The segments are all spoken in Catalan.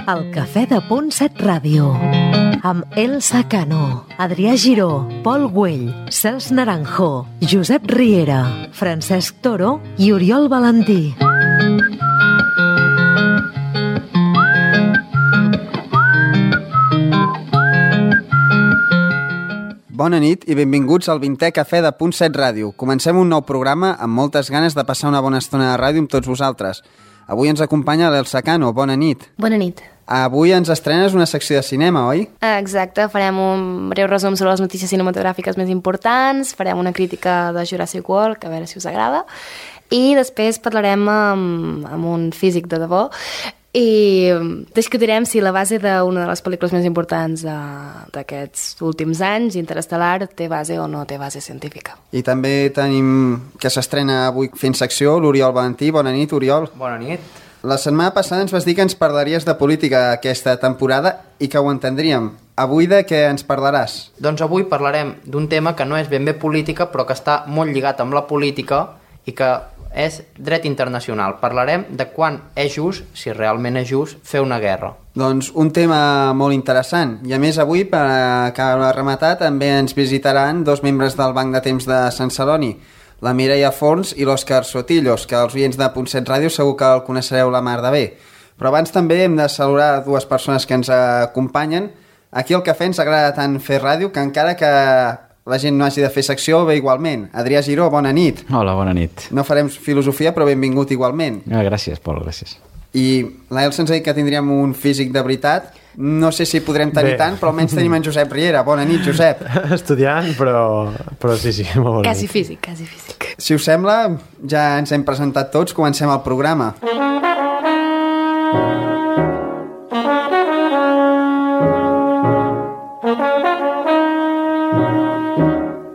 El Cafè de Punt 7 Ràdio, amb Elsa Cano, Adrià Giró, Pol Güell, Cels Naranjo, Josep Riera, Francesc Toro i Oriol Valentí. Bona nit i benvinguts al 20è Cafè de Punt 7 Ràdio. Comencem un nou programa amb moltes ganes de passar una bona estona de ràdio amb tots vosaltres. Avui ens acompanya l'Elsa Cano. Bona nit. Bona nit. Avui ens estrenes una secció de cinema, oi? Exacte, farem un breu resum sobre les notícies cinematogràfiques més importants, farem una crítica de Jurassic World, que a veure si us agrada, i després parlarem amb un físic de debò i discutirem si la base d'una de les pel·lícules més importants d'aquests últims anys, Interestelar, té base o no té base científica. I també tenim que s'estrena avui fent secció l'Oriol Valentí. Bona nit, Oriol. Bona nit. La setmana passada ens vas dir que ens parlaries de política aquesta temporada i que ho entendríem. Avui de què ens parlaràs? Doncs avui parlarem d'un tema que no és ben bé política, però que està molt lligat amb la política i que és dret internacional. Parlarem de quan és just, si realment és just, fer una guerra. Doncs un tema molt interessant. I a més avui, per acabar de rematar, també ens visitaran dos membres del Banc de Temps de Sant Celoni, la Mireia Forns i l'Òscar Sotillos, que els oients de Punt 7 Ràdio segur que el coneixereu la mar de bé. Però abans també hem de saludar dues persones que ens acompanyen. Aquí al cafè ens agrada tant fer ràdio que encara que la gent no hagi de fer secció, bé igualment. Adrià Giró, bona nit. Hola, bona nit. No farem filosofia, però benvingut igualment. Gràcies, Pol, gràcies. I l'Elsa ens ha dit que tindríem un físic de veritat. No sé si podrem tenir tant, però almenys tenim en Josep Riera. Bona nit, Josep. Estudiant, però sí, molt bona Quasi nit. físic, quasi físic. Si us sembla, ja ens hem presentat tots, comencem el programa.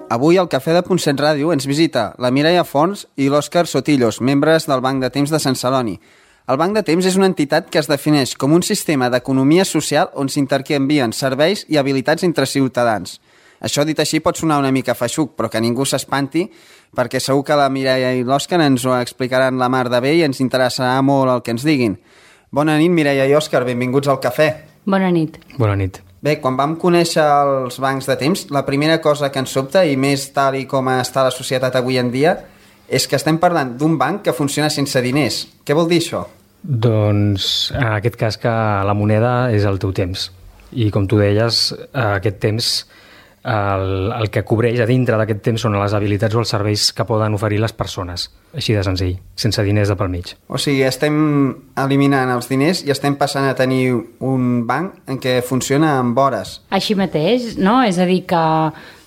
Avui al Cafè de Punt 7 Ràdio ens visita la Mireia Forns i l'Òscar Sotillos, membres del Banc de Temps de Sant Celoni. El Banc de Temps és una entitat que es defineix com un sistema d'economia social on s'intercanvien serveis i habilitats entre ciutadans. Això dit així pot sonar una mica feixuc, però que ningú s'espanti, perquè segur que la Mireia i l'Òscar ens ho explicaran la mar de bé i ens interessarà molt el que ens diguin. Bona nit, Mireia i Òscar, benvinguts al cafè. Bona nit. Bona nit. Bé, quan vam conèixer els bancs de temps, la primera cosa que ens sobta, i més tal i com està la societat avui en dia, és que estem parlant d'un banc que funciona sense diners. Què vol dir això? Doncs en aquest cas que la moneda és el teu temps. I com tu deies, aquest temps, el que cobreix a dintre d'aquest temps són les habilitats o els serveis que poden oferir les persones. Així de senzill, sense diners de pel mig. O sigui, estem eliminant els diners i estem passant a tenir un banc en què funciona amb hores. Així mateix, no? És a dir que,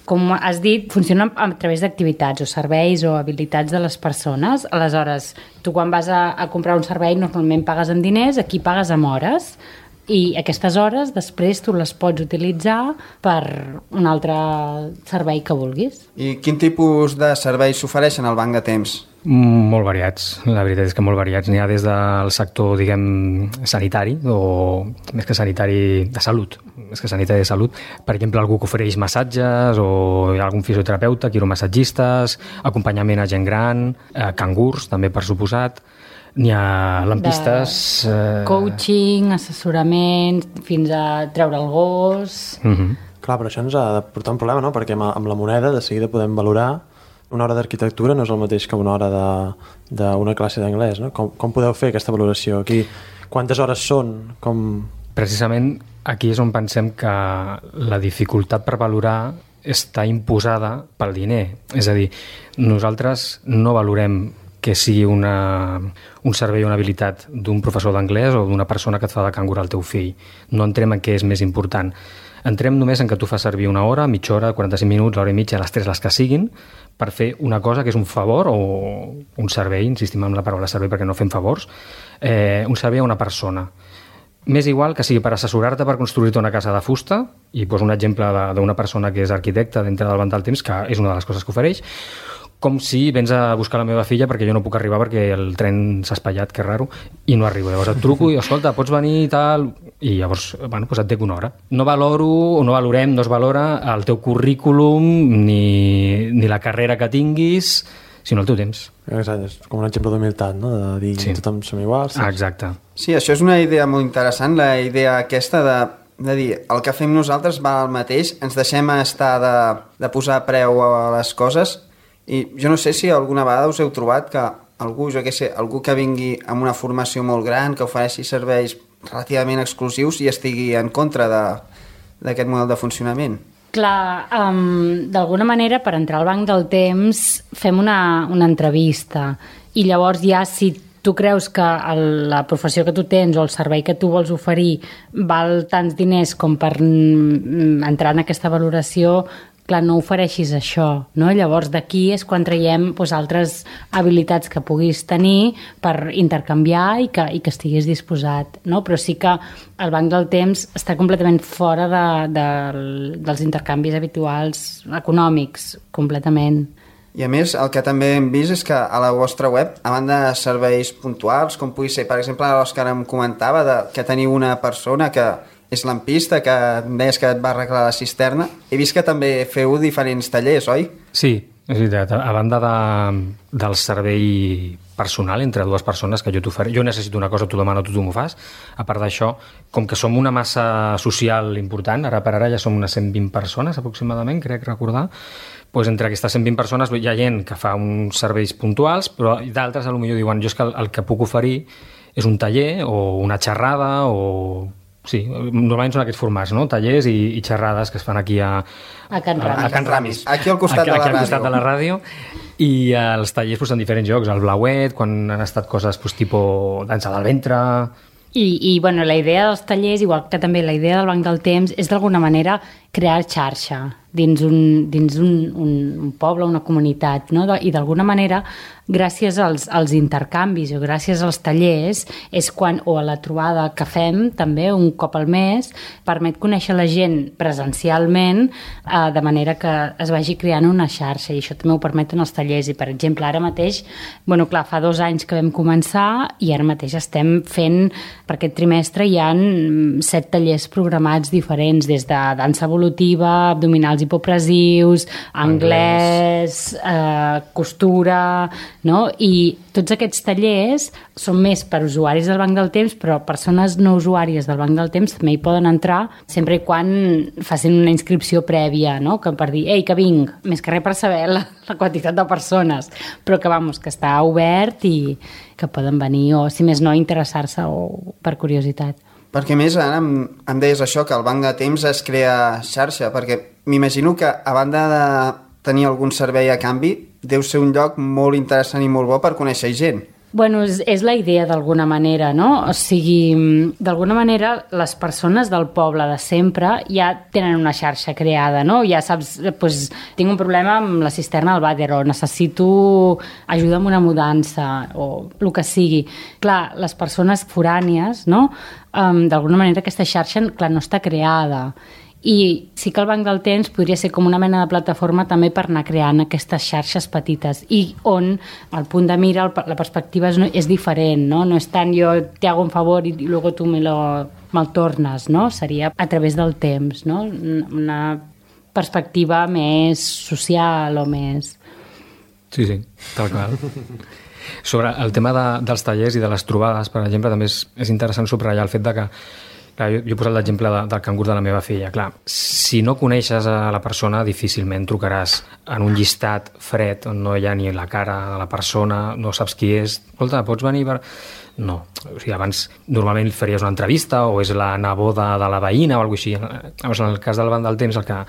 com has dit, funciona a través d'activitats o serveis o habilitats de les persones. Aleshores, tu quan vas a comprar un servei normalment pagues en diners, aquí pagues amb hores, i aquestes hores després tu les pots utilitzar per un altre servei que vulguis. I quin tipus de serveis s'ofereixen al banc de temps? Molt variats, la veritat és que molt variats. N'hi ha des del sector, diguem, sanitari, o més que sanitari, de salut. Més que sanitari de salut. Per exemple, algú que ofereix massatges, o hi ha algun fisioterapeuta, quiromassatgistes, acompanyament a gent gran, cangurs, també per suposat. N'hi ha lampistes... Coaching, assessorament, fins a treure el gos... Clar, però això ens ha de portar un problema, no? Perquè amb la moneda de seguida podem valorar una hora d'arquitectura no és el mateix que una hora d'una classe d'anglès, no? Com podeu fer aquesta valoració aquí? Quantes hores són? Precisament aquí és on pensem que la dificultat per valorar està imposada pel diner. És a dir, nosaltres no valorem que sigui un servei o una habilitat d'un professor d'anglès o d'una persona que et fa de cangur al teu fill. No entrem en què és més important. Entrem només en que tu fas servir una hora, mitja hora, 45 minuts, l'hora i mitja, les 3, les que siguin, per fer una cosa que és un favor o un servei, insistim en la paraula servei perquè no fem favors, un servei a una persona. M'és igual que sigui per assessorar-te per construir-te una casa de fusta, i poso un exemple d'una persona que és arquitecte dintre del Banc del Temps, que és una de les coses que ofereix, com si vens a buscar la meva filla perquè jo no puc arribar perquè el tren s'ha espatllat, que raro, i no arribo. Llavors et truco i, escolta, pots venir i tal, i llavors, bueno, doncs et dec una hora. No valoro, o no valorem, no es valora el teu currículum ni la carrera que tinguis, sinó el teu temps. Exacte, és com un exemple d'humilitat, no? De dir Sí. tothom som iguals. Exacte. Sí, això és una idea molt interessant, la idea aquesta de dir el que fem nosaltres va al mateix, ens deixem estar de posar preu a les coses, i jo no sé si alguna vegada us heu trobat que algú, jo què sé, algú que vingui amb una formació molt gran, que ofereixi serveis relativament exclusius i estigui en contra d'aquest model de funcionament. Clar, d'alguna manera, per entrar al banc del temps, fem una entrevista i llavors ja si tu creus que la professió que tu tens o el servei que tu vols oferir val tants diners com per entrar en aquesta valoració, clar, no ofereixis això, no? Llavors d'aquí és quan traiem altres habilitats que puguis tenir per intercanviar i que estiguis disposat, no? Però sí que el banc del temps està completament fora dels intercanvis habituals econòmics, completament. I a més, el que també hem vist és que a la vostra web, a banda de serveis puntuals, com pugui ser, per exemple, l'Òscar em comentava que teniu una persona que és lampista, que em deies que et va arreglar la cisterna. He vist que també feu diferents tallers, oi? Sí, és veritat. A banda del servei personal entre dues persones que jo t'ofereixo, jo necessito una cosa, tu demano, tu m'ho fas. A part d'això, com que som una massa social important, ara per ara ja som unes 120 persones aproximadament, crec recordar, doncs entre aquestes 120 persones hi ha gent que fa uns serveis puntuals, però d'altres potser diuen jo és que el que puc oferir és un taller o una xerrada o... Sí, normalment són aquests formats, no? Tallers i xerrades que es fan aquí a Can Ramis. A Can Ramis. Aquí al costat de la aquí al ràdio. costat de la ràdio. I els tallers en diferents llocs, al Blauet, quan han estat coses tipus dansa del ventre... I bueno, la idea dels tallers, igual que també la idea del banc del temps, és d'alguna manera crear xarxa dins un poble, una comunitat, no? I d'alguna manera, gràcies als intercanvis o gràcies als tallers, és quan, o a la trobada que fem també un cop al mes, permet conèixer la gent presencialment de manera que es vagi creant una xarxa, i això també ho permeten els tallers. I per exemple, ara mateix, bueno, clar, fa 2 anys que vam començar i ara mateix estem fent, per aquest trimestre hi ha 7 tallers programats diferents, des de dansa evolutiva, abdominals hipopressius, anglès, costura, no? I tots aquests tallers són més per usuaris del banc del temps, però persones no usuàries del banc del temps també hi poden entrar sempre i quan facin una inscripció prèvia, no? Que per dir, ei, que vinc, més que res per saber la quantitat de persones, però que està obert i que poden venir o, si més no, interessar-se o per curiositat. Perquè més ara em deies això, que el banc de temps es crea xarxa, perquè m'imagino que a banda de tenir algun servei a canvi, deu ser un lloc molt interessant i molt bo per conèixer gent. Bueno, és la idea d'alguna manera, no? O sigui, d'alguna manera les persones del poble de sempre ja tenen una xarxa creada, no? Ja saps, doncs, tinc un problema amb la cisterna del vàter o necessito ajuda amb una mudança o el que sigui. Clar, les persones forànies, no? D'alguna manera aquesta xarxa, clar, no està creada. I sí que el banc del temps podria ser com una mena de plataforma també per anar creant aquestes xarxes petites i on el punt de mira, la perspectiva és diferent, no? No és tant jo te hago un favor i luego tu me'l tornes, no? Seria a través del temps, no? Una perspectiva més social o més... Sí, tal qual. Sobre el tema dels tallers i de les trobades, per exemple, també és interessant subratllar el fet de que clar, jo he posat l'exemple del cangur de la meva filla. Clar, si no coneixes a la persona, difícilment trucaràs en un llistat fred on no hi ha ni la cara de la persona, no saps qui és. Escolta, pots venir per... No. O sigui, abans normalment faries una entrevista o és la neboda de la veïna o alguna cosa així. Llavors, en el cas del banc del temps, el que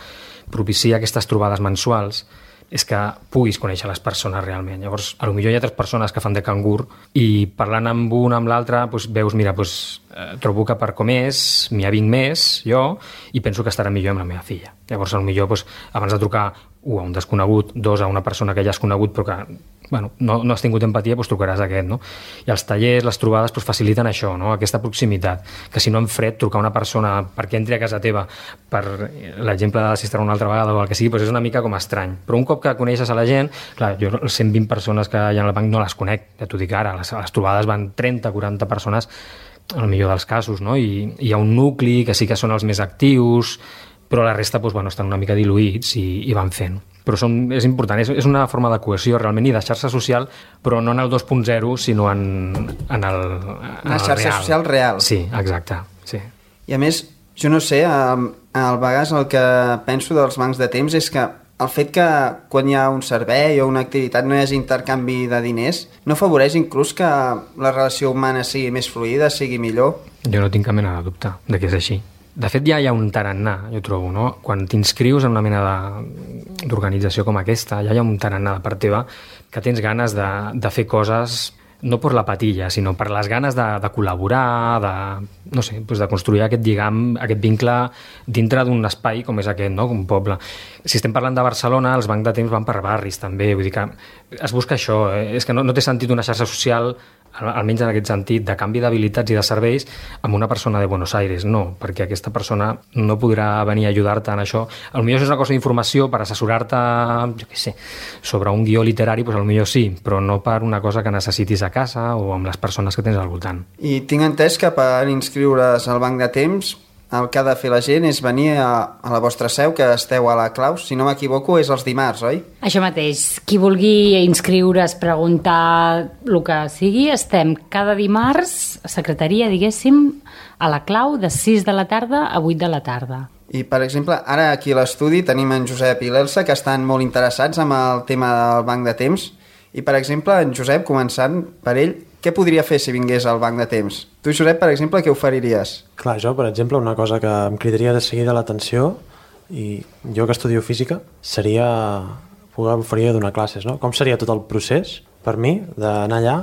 propicia aquestes trobades mensuals és que puguis conèixer les persones realment. Llavors, potser hi ha 3 persones que fan de cangur i parlant amb una amb l'altra doncs veus, mira, trobo que per com és, m'hi avinc més jo i penso que estarà millor amb la meva filla. Llavors, potser abans de trucar a un desconegut, 2 a una persona que ja has conegut però que no has tingut empatia, trucaràs a aquest, no? I els tallers, les trobades faciliten això, no? Aquesta proximitat, que si no en fred trucar a una persona perquè entri a casa teva, per l'exemple de la cisterna una altra vegada o el que sigui, és una mica com estrany. Però un cop que coneixes a la gent, clar, jo les 120 persones que hi ha al banc no les conec, ja t'ho dic ara, les trobades van 30, 40 persones en el millor dels casos, no? I hi ha un nucli que sí que són els més actius, però la resta estan una mica diluïts i van fent. però és important, és una forma de cohesió realment i de xarxa social, però no en el 2.0, sinó en una xarxa real. Social real. Sí, exacte. Sí. I a més, jo no sé, al vegades el que penso dels bancs de temps és que el fet que quan hi ha un servei o una activitat no hi hagi intercanvi de diners no afavoreix inclús que la relació humana sigui més fluida, sigui millor? Jo no tinc cap mena de dubte de que és així. De fet, ja hi ha un tarannà, jo trobo, no? Quan t'inscrius en una mena d'organització com aquesta, ja hi ha un tarannà de part teva que tens ganes de fer coses no per la patilla, sinó per les ganes de col·laborar, de construir aquest lligam, aquest vincle dintre d'un espai com és aquest, no? Com un poble. Si estem parlant de Barcelona, els bancs de temps van per barris també, vull dir que es busca això, és que no té sentit una xarxa social, almenys en aquest sentit, de canvi d'habilitats i de serveis amb una persona de Buenos Aires, no, perquè aquesta persona no podrà venir a ajudar-te en això. Potser és una cosa d'informació per assessorar-te, jo què sé, sobre un guió literari, doncs potser sí, però no per una cosa que necessitis a casa o amb les persones que tens al voltant. I tinc entès que per inscriure's al banc de temps el que ha de fer la gent és venir a la vostra seu, que esteu a la Claus, si no m'equivoco és els dimarts, oi? Això mateix, qui vulgui inscriure's, preguntar el que sigui, estem cada dimarts a secretaria, diguéssim, a la Clau de 6 de la tarda a 8 de la tarda. I, per exemple, ara aquí a l'estudi tenim en Josep i l'Elsa, que estan molt interessats amb el tema del banc de temps. I, per exemple, en Josep, començant per ell, què podria fer si vingués al banc de temps? Tu, Josep, per exemple, què oferiries? Clar, jo, per exemple, una cosa que em cridaria de seguida l'atenció, i jo que estudio física, seria poder oferir donar classes, no? Com seria tot el procés, per mi, d'anar allà,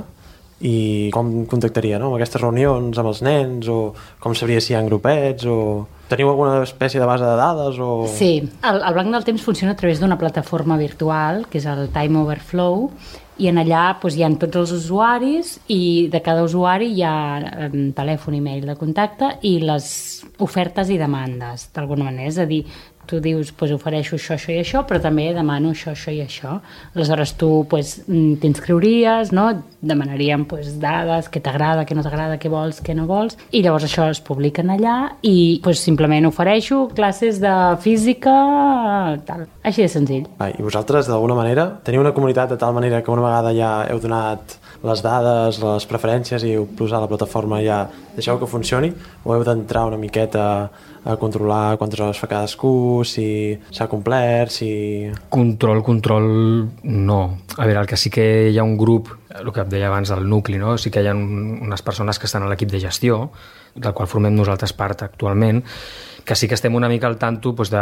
i com contactaria, no? Amb aquestes reunions amb els nens, o com sabria si hi ha grupets, o teniu alguna espècie de base de dades? O... Sí, el Banc del Temps funciona a través d'una plataforma virtual, que és el Time Overflow, i en allà doncs, hi ha tots els usuaris i de cada usuari hi ha telèfon i mail de contacte i les ofertes i demandes, d'alguna manera. És a dir, tu dius, doncs, ofereixo això, això i això, però també demano això, això i això. Aleshores tu doncs, t'inscriuries, no? Demanaríem doncs, dades, què t'agrada, què no t'agrada, què vols, què no vols, i llavors això es publiquen allà i doncs, simplement ofereixo classes de física, tal. Així de senzill. I vosaltres, d'alguna manera, teniu una comunitat de tal manera que una vegada ja heu donat les dades, les preferències i heu posat la plataforma ja deixeu que funcioni, o heu d'entrar una miqueta a controlar quantes hores fa cadascú, si s'ha complert, si... Control no. A veure, el que sí que hi ha un grup, el que et deia abans del nucli, no? Sí que hi ha unes persones que estan a l'equip de gestió, del qual formem nosaltres part actualment, que sí que estem una mica al tanto doncs,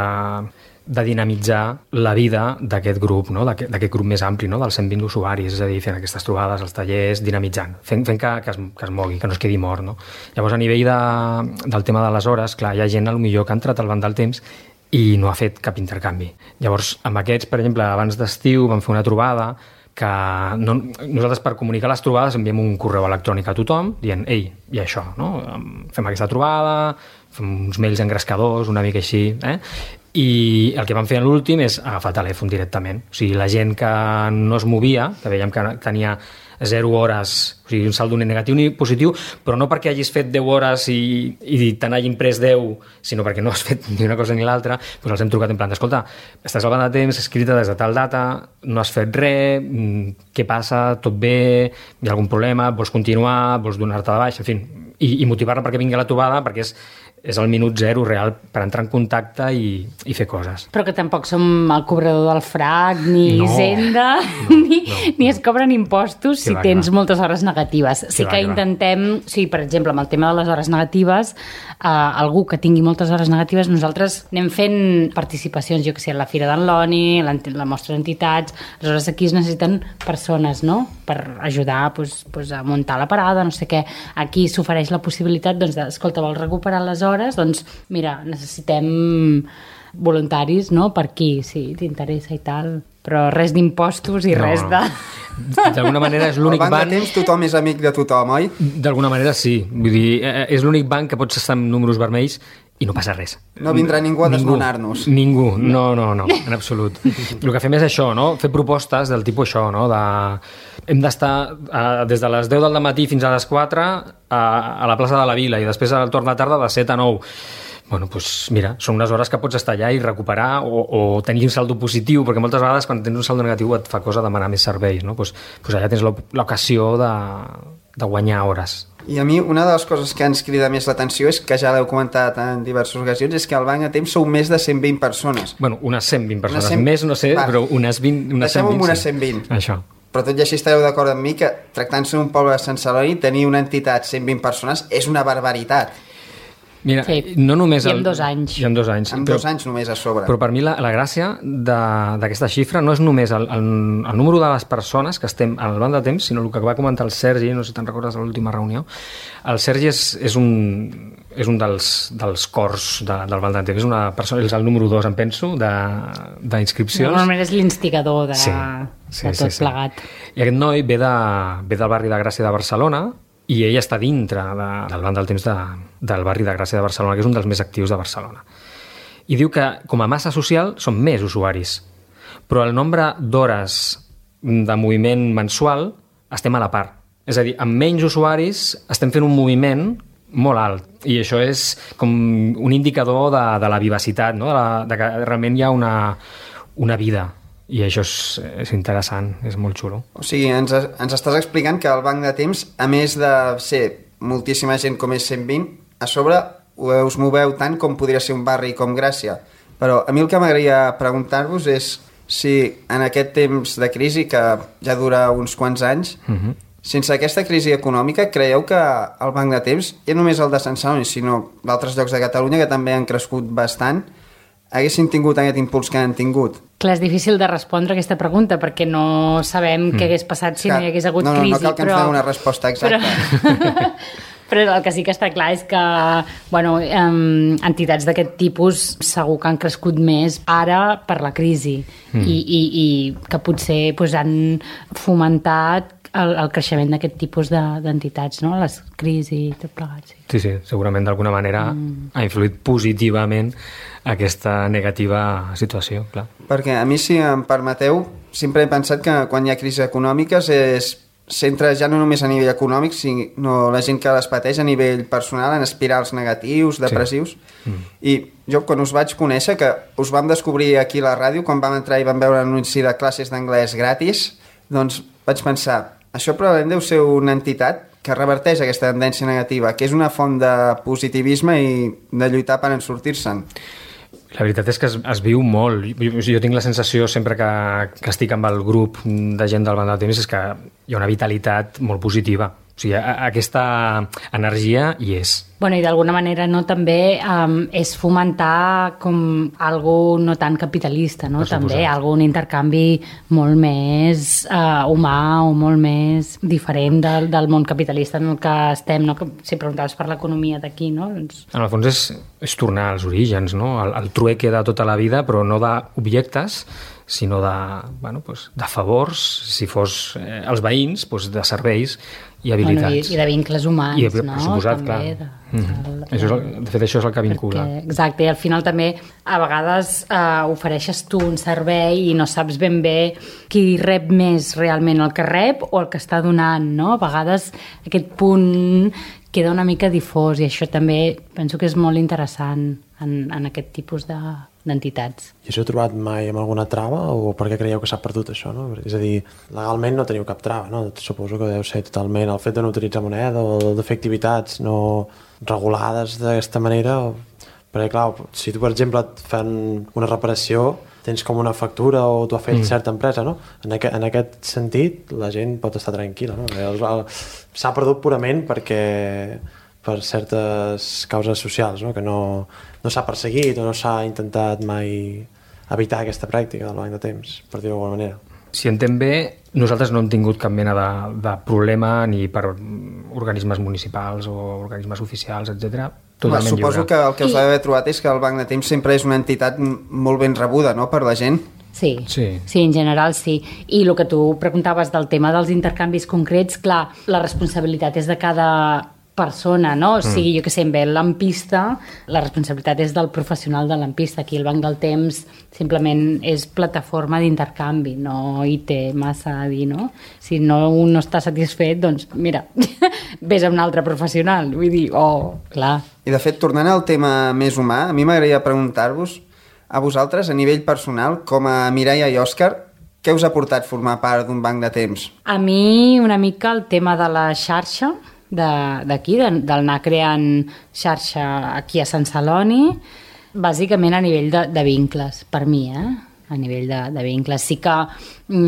de dinamitzar la vida d'aquest grup, no? D'aquest grup més ampli, no? Dels 120 usuaris, és a dir, fent aquestes trobades, els tallers, dinamitzant, fent que es mogui, que no es quedi mort, no? Llavors, a nivell del tema de les hores, clar, hi ha gent potser que ha entrat al banc del temps i no ha fet cap intercanvi. Llavors, amb aquests, per exemple, abans d'estiu vam fer una trobada que nosaltres per comunicar les trobades enviem un correu electrònic a tothom dient, ei, hi ha això, no? Fem aquesta trobada, fem uns mails engrescadors, una mica així, i el que vam fer en l'últim és agafar el telèfon directament. O sigui, la gent que no es movia, que veiem que tenia 0 hores, o sigui, un saldo ni negatiu ni positiu, però no perquè hagis fet 10 hores i te n'hagin pres 10, sinó perquè no has fet ni una cosa ni l'altra, doncs els hem trucat en plan d'escolta, estàs al banc de temps, escrita des de tal data, no has fet res, què passa, tot bé, hi ha algun problema, vols continuar, vols donar-te de baix, en fi, i motivar-la perquè vingui a la trobada, perquè és el minut zero real per entrar en contacte i fer coses. Però que tampoc som el cobrador del frac, ni Hisenda, ni es cobren impostos si tens moltes hores negatives. Sí que intentem, per exemple, amb el tema de les hores negatives, algú que tingui moltes hores negatives, nosaltres anem fent participacions, jo que sé, a la Fira d'en Loni, la mostra d'entitats, aleshores aquí es necessiten persones, no?, per ajudar a muntar la parada, no sé què. Aquí s'ofereix la possibilitat, escolta, vols recuperar les hores? Doncs mira, necessitem voluntaris, no?, per aquí, si t'interessa i tal, però res d'impostos i res de... D'alguna manera és l'únic banc... Al banc de temps tothom és amic de tothom, oi? D'alguna manera sí, vull dir, és l'únic banc que pots estar amb números vermells i no passa res. No vindrà ningú a desnonar-nos. Ningú, no, en absolut. El que fem és això, no? Fer propostes del tipus això, no? Hem d'estar des de les 10 del matí fins a les 4 a la plaça de la Vila i després al torn de tarda de 7 a 9. Bueno, doncs mira, són unes hores que pots estar allà i recuperar o tenir un saldo positiu, perquè moltes vegades quan tens un saldo negatiu et fa cosa demanar més serveis, no? Doncs allà tens l'ocasió de guanyar hores. I a mi una de les coses que ens crida més l'atenció és que ja l'heu comentat en diverses ocasions, és que al Banc de Temps sou més de 120 persones. Bueno, unes 120 persones, més no sé, però unes 20... Deixem-ho amb unes 120. Això. Però tot i així estareu d'acord amb mi que tractant-se d'un poble de Sant Celoni, tenir una entitat 120 persones és una barbaritat. Mira, Sí. no només... I en 2 anys. I en 2 anys. En 2 anys només a sobre. Però per mi la gràcia d'aquesta xifra no és només el número de les persones que estem al Banc de Temps, sinó el que va comentar el Sergi, no sé si te'n recordes de l'última reunió. El Sergi és un dels cors del Banc de Temps, és una persona, és el número 2, em penso, d'inscripcions. Normalment és l'instigador de tot plegat. I aquest noi ve del barri de Gràcia de Barcelona, i ell està dintre del Banc del Temps del barri de Gràcia de Barcelona, que és un dels més actius de Barcelona. I diu que com a massa social són més usuaris, però el nombre d'hores de moviment mensual estem a la part. És a dir, amb menys usuaris estem fent un moviment molt alt, i això és com un indicador de la vivacitat, no? de que realment hi ha una vida. I això és interessant, és molt xulo. O sigui, ens estàs explicant que el Banc de Temps, a més de ser moltíssima gent com és 120, a sobre us moveu tant com podria ser un barri com Gràcia. Però a mi el que m'agradaria preguntar-vos és si en aquest temps de crisi, que ja dura uns quants anys, sense aquesta crisi econòmica, creieu que el Banc de Temps, ja només el de Sant Celoni, sinó d'altres llocs de Catalunya que també han crescut bastant, haguessin tingut aquest impuls que han tingut? Clar, és difícil de respondre aquesta pregunta perquè no sabem què hagués passat si no hi hagués hagut crisi. No cal que ens doni una resposta exacta. Però el que sí que està clar és que entitats d'aquest tipus segur que han crescut més ara per la crisi i que potser han fomentat el creixement d'aquest tipus d'entitats, no? Les crisis i tot plegat. Sí, segurament d'alguna manera ha influït positivament aquesta negativa situació, clar. Perquè a mi, si em permeteu, sempre he pensat que quan hi ha crisis econòmiques s'entra ja no només a nivell econòmic, sinó la gent que les pateix a nivell personal, en espirals negatius, depressius. Sí. I jo, quan us vaig conèixer, que us vam descobrir aquí a la ràdio, quan vam entrar i vam veure l'anunci de classes d'anglès gratis, doncs vaig pensar, això probablement deu ser una entitat que reverteix aquesta tendència negativa, que és una font de positivisme i de lluitar per en sortir-se'n. La veritat és que es viu molt. Jo tinc la sensació sempre que estic amb el grup de gent del Banc de Temps és que hi ha una vitalitat molt positiva. O sigui, aquesta energia hi és. Bueno, i d'alguna manera també és fomentar com algo no tan capitalista, no? També un intercanvi molt més humà o molt més diferent del món capitalista en el que estem, no? Si preguntaves per l'economia d'aquí, no? Doncs... En el fons és tornar als orígens, no? El trueque de tota la vida, però no d'objectes, sinó de favors, si fos els veïns, de serveis i habilitats. I de vincles humans, no? Per suposat, també, clar. De fet, això és el que vincula. Exacte, i al final també a vegades ofereixes tu un servei i no saps ben bé qui rep més realment, el que rep o el que està donant, no? A vegades aquest punt queda una mica difós i això també penso que és molt interessant en aquest tipus d'entitats. I això heu trobat mai amb alguna trava o per què creieu que s'ha perdut això? No? És a dir, legalment no teniu cap trava, no? Suposo que deu ser totalment el fet de no utilitzar moneda o de fer activitats no regulades d'aquesta manera, perquè clar, si tu per exemple et fan una reparació tens com una factura o t'ho ha fet certa empresa, no? En aquest sentit la gent pot estar tranquil·la, no? S'ha perdut purament per certes causes socials, no? Que no s'ha perseguit o no s'ha intentat mai evitar aquesta pràctica del banc de temps, per dir-ho d'alguna manera. Si entenc bé, nosaltres no hem tingut cap mena de problema ni per organismes municipals o organismes oficials, etc. Totalment lliure. Suposo que el que us ha d'haver trobat és que el Banc de Temps sempre és una entitat molt ben rebuda, no?, per la gent. Sí, en general sí. I el que tu preguntaves del tema dels intercanvis concrets, clar, la responsabilitat és de cada persona, no? O sigui, jo que sé, ve el lampista, la responsabilitat és del professional de lampista. Aquí el Banc del Temps simplement és plataforma d'intercanvi, no hi té massa a dir, no? Si no un no està satisfet, doncs mira, vés a un altre professional. Vull dir, clar. I de fet, tornant al tema més humà, a mi m'agradaria preguntar-vos a vosaltres, a nivell personal, com a Mireia i Òscar, què us ha portat formar part d'un banc de temps? A mi una mica el tema de la xarxa d'aquí, d'anar creant xarxa aquí a Sant Celoni, bàsicament a nivell de vincles, per mi, a nivell de vincles. Sí que he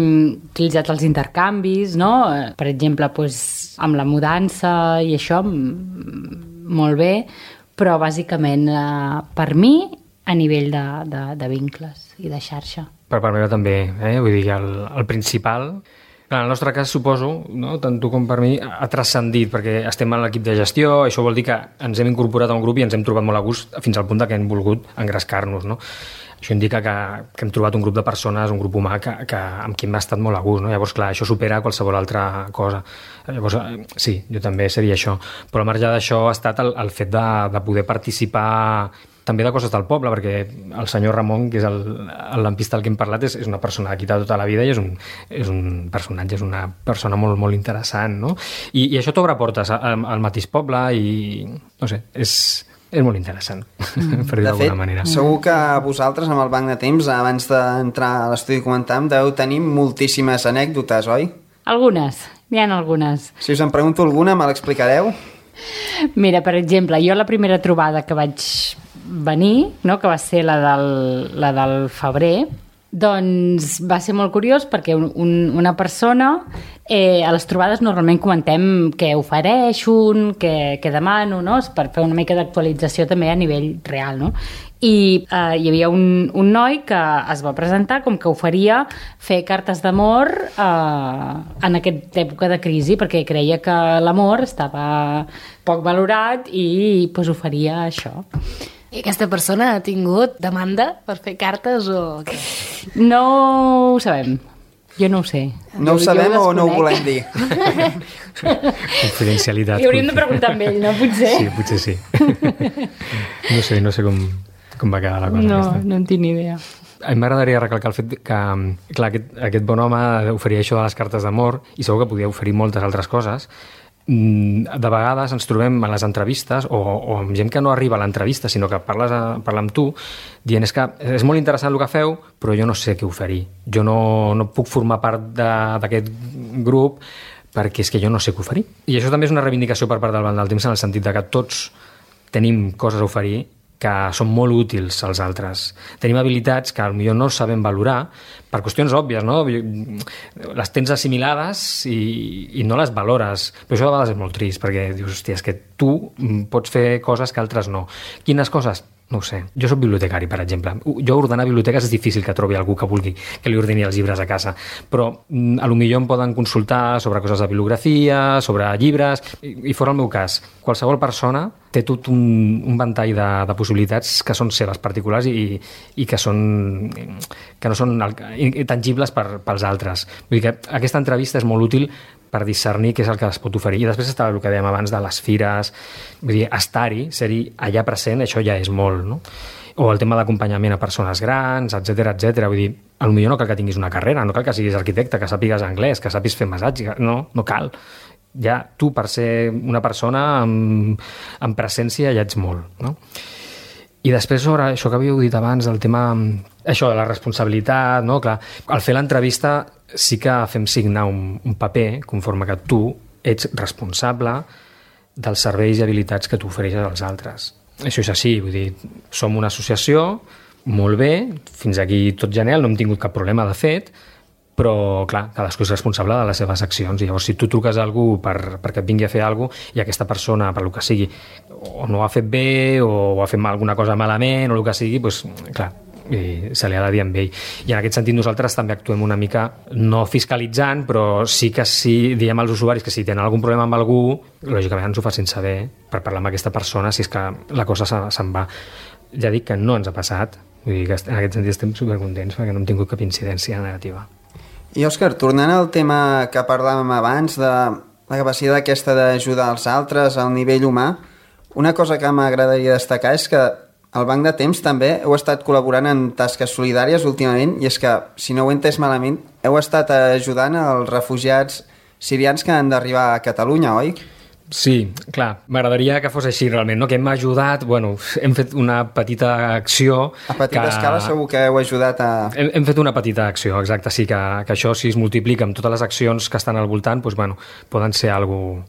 utilitzat els intercanvis, no? Per exemple, doncs, amb la mudança i això, molt bé, però bàsicament per mi a nivell de vincles i de xarxa. Per part meva també, vull dir, el principal... En el nostre cas, suposo, no? Tant tu com per mi, ha transcendit, perquè estem en l'equip de gestió, això vol dir que ens hem incorporat a un grup i ens hem trobat molt a gust fins al punt que hem volgut engrescar-nos, no? Això indica que hem trobat un grup de persones, un grup humà amb qui hem estat molt a gust, no? Llavors, clar, això supera qualsevol altra cosa. Llavors, sí, jo també seria això. Però al marge d'això ha estat el fet de poder participar també de coses del poble, perquè el senyor Ramon, que és el lampista del que hem parlat, és una persona d'aquí de tota la vida i és un personatge, és una persona molt, molt interessant, no? I això t'obre portes al mateix poble i, no sé, és molt interessant, per dir d'alguna manera. De fet, segur que vosaltres, amb el Banc de Temps, abans d'entrar a l'estudi i comentar, deu tenir moltíssimes anècdotes, oi? Algunes, n'hi ha algunes. Si us en pregunto alguna, me l'explicareu? Mira, per exemple, jo la primera trobada que vaig venir, no, que va ser la del febrer, doncs va ser molt curiós perquè una persona, a les trobades normalment comentem què ofereixo, què demano, no? Per fer una mica d'actualització també a nivell real, no? I hi havia un noi que es va presentar com que oferia fer cartes d'amor en aquesta època de crisi, perquè creia que l'amor estava poc valorat i pues, oferia això. I aquesta persona ha tingut demanda per fer cartes o què? No ho sabem. Jo no ho sé. No ho sabem o no ho volem dir? Confidencialitat. I hauríem de preguntar amb ell, no? Potser? Sí, potser sí. No sé com va quedar la cosa. No en tinc ni idea. A mi m'agradaria recalcar el fet que, clar, aquest bon home oferia això de les cartes d'amor i segur que podia oferir moltes altres coses. De vegades ens trobem a les entrevistes o amb gent que no arriba a l'entrevista sinó que parla amb tu dient és que és molt interessant el que feu però jo no sé què oferir, jo no puc formar part d'aquest grup perquè és que jo no sé què oferir. I això també és una reivindicació per part del Banc del Temps en el sentit de que tots tenim coses a oferir que són molt útils als altres. Tenim habilitats que potser no sabem valorar per qüestions òbvies, no? Les tens assimilades i no les valores. Però això de vegades és molt trist, perquè dius, hòstia, és que tu pots fer coses que altres no. Quines coses? No ho sé. Jo soc bibliotecari, per exemple. Jo ordenar biblioteques és difícil que trobi algú que vulgui que li ordeni els llibres a casa, però a lo millor em poden consultar sobre coses de bibliografia, sobre llibres, i fora el meu cas. Qualsevol persona té tot un ventall de possibilitats que són seves particulars i que no són tangibles pels altres. Vull dir que aquesta entrevista és molt útil per discernir què és el que es pot oferir. I després està el que dèiem abans de les fires, vull dir, estar-hi, ser-hi allà present, això ja és molt, no? O el tema d'acompanyament a persones grans, etc etc. Vull dir, potser no cal que tinguis una carrera, no cal que siguis arquitecte, que sàpigues anglès, que sàpigues fer massatge, no cal. Ja tu, per ser una persona amb presència, ja ets molt, no? I després, sobre això que havíeu dit abans, el tema, això de la responsabilitat, no? Clar, al fer l'entrevista sí que fem signar un paper conforme que tu ets responsable dels serveis i habilitats que tu ofereixes als altres. Això és així, vull dir, som una associació, molt bé, fins aquí tot genial, no hem tingut cap problema de fet, però, clar, cadascú és responsable de les seves accions i llavors si tu truques a algú perquè et vingui a fer alguna cosa i aquesta persona, per lo que sigui, o no ho ha fet bé o ha fet alguna cosa malament o el que sigui, doncs, clar, se li ha de dir amb ell. I en aquest sentit nosaltres també actuem una mica, no fiscalitzant, però sí que sí, diem als usuaris que si tenen algun problema amb algú, lògicament ens ho facin saber per parlar amb aquesta persona si és que la cosa se'n va. Ja dic que no ens ha passat, vull dir que en aquest sentit estem supercontents perquè no hem tingut cap incidència negativa. I Òscar, tornant al tema que parlàvem abans de la capacitat aquesta d'ajudar els altres al nivell humà. Una cosa que m'agradaria destacar és que al Banc de Temps també heu estat col·laborant en tasques solidàries últimament, i és que, si no ho he entès malament, heu estat ajudant els refugiats sirians que han d'arribar a Catalunya, oi? Sí, clar, m'agradaria que fos així realment, no? Que hem ajudat, bueno, hem fet una petita acció... A petita escala segur que heu ajudat a... Hem fet una petita acció, exacte, sí, que això si es multiplica amb totes les accions que estan al voltant, doncs, bueno, poden ser algo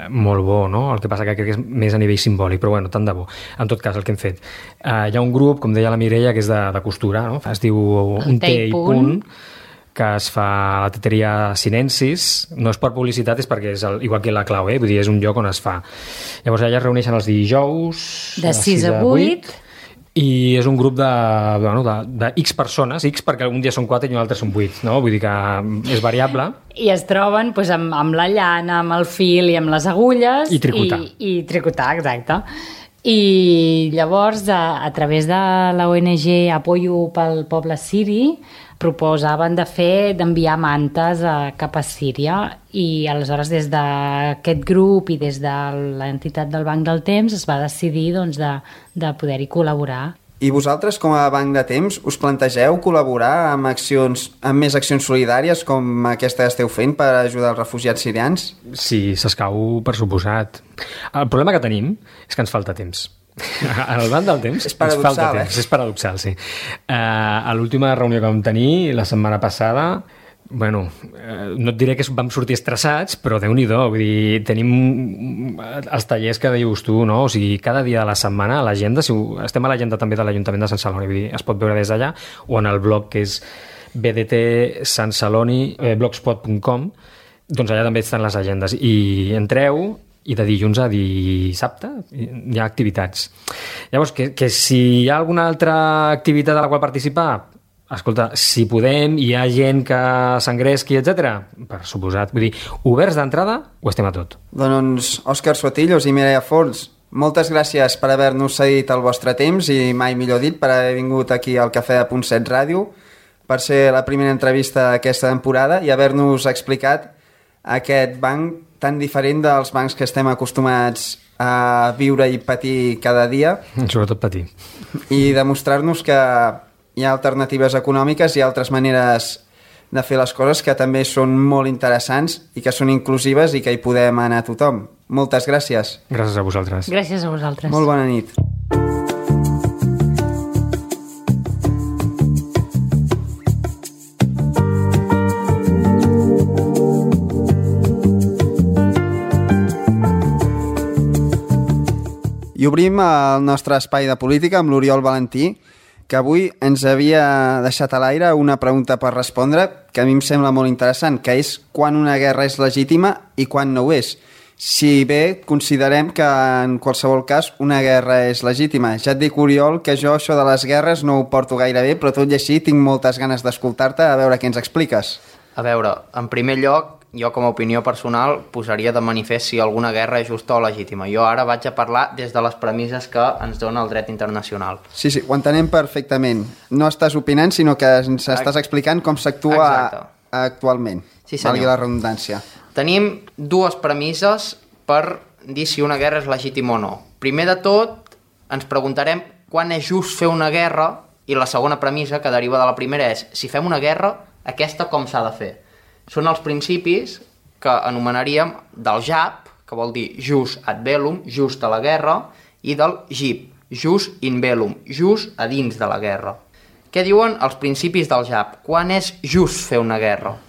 molt bo, no? El que passa que crec que és més a nivell simbòlic, però bueno, tant de bo. En tot cas, el que hem fet. Hi ha un grup, com deia la Mireia, que és de costura, no? Es diu Un té i punt, que es fa a la teteria Sinensis. No és per publicitat, és perquè és igual que la Clau, vull dir, és un lloc on es fa. Llavors allà es reuneixen els dijous de 6 a 8 i és un grup de X persones, X perquè un dia són 4 i un altre són 8, no? Vull dir que és variable. I es troben doncs, amb la llana, amb el fil i amb les agulles. I tricotar. I tricotar, exacte. I llavors, a través de la ONG Apoyo pel Poble Siri, proposaven d'enviar mantes cap a Síria, i aleshores des d'aquest grup i des de l'entitat del Banc del Temps es va decidir doncs, de poder-hi col·laborar. I vosaltres, com a Banc de Temps, us plantegeu col·laborar amb més accions solidàries com aquesta que esteu fent per ajudar els refugiats sirians? Sí, s'escau, per suposat. El problema que tenim és que ens falta temps. Al Banc del Temps és paradoxal, ens falta temps. És paradoxal, sí. A l'última reunió que vam tenir la setmana passada, bueno, no et diré que vam sortir estressats, però Déu-n'hi-do, vull dir, tenim els tallers que dius tu, no? O sigui, cada dia de la setmana a l'agenda, estem a l'agenda també de l'Ajuntament de Sant Celoni, vull dir, es pot veure des d'allà, o en el blog que és bdtsansaloni.blogspot.com, doncs allà també estan les agendes, i entreu, i de dilluns a dissabte hi ha activitats. Llavors, que si hi ha alguna altra activitat a la qual participar, escolta, si podem, hi ha gent que s'engresqui, etc. Per suposat. Vull dir, oberts d'entrada, ho estem a tot. Doncs, Òscar Sotillos i Mireia Forns, moltes gràcies per haver-nos cedit el vostre temps i, mai millor dit, per haver vingut aquí al Cafè de Punt 7 Ràdio, per ser la primera entrevista d'aquesta temporada i haver-nos explicat aquest banc tan diferent dels bancs que estem acostumats a viure i patir cada dia. Sobretot patir. I demostrar-nos que hi ha alternatives econòmiques i altres maneres de fer les coses que també són molt interessants i que són inclusives i que hi podem anar tothom. Moltes gràcies. Gràcies a vosaltres. Gràcies a vosaltres. Molt bona nit. I obrim el nostre espai de política amb l'Oriol Valentí, que avui ens havia deixat a l'aire una pregunta per respondre que a mi em sembla molt interessant, que és quan una guerra és legítima i quan no ho és. Si bé considerem que en qualsevol cas una guerra és legítima. Ja et dic, Oriol, que jo això de les guerres no ho porto gaire bé, però tot i així tinc moltes ganes d'escoltar-te a veure què ens expliques. A veure, en primer lloc, jo com a opinió personal posaria de manifest si alguna guerra és justa o legítima. Jo ara vaig a parlar des de les premisses que ens dona el dret internacional. Sí, ho entenem perfectament. No estàs opinant, sinó que ens estàs explicant com s'actua actualment. Sí, senyor. Valgui la redundància. Tenim dues premisses per dir si una guerra és legítima o no. Primer de tot, ens preguntarem quan és just fer una guerra, i la segona premissa, que deriva de la primera, és si fem una guerra, aquesta com s'ha de fer. Són els principis que anomenaríem del JAP, que vol dir jus ad bellum, just a la guerra, i del JIP, jus in bellum, just a dins de la guerra. Què diuen els principis del JAP? Quan és just fer una guerra?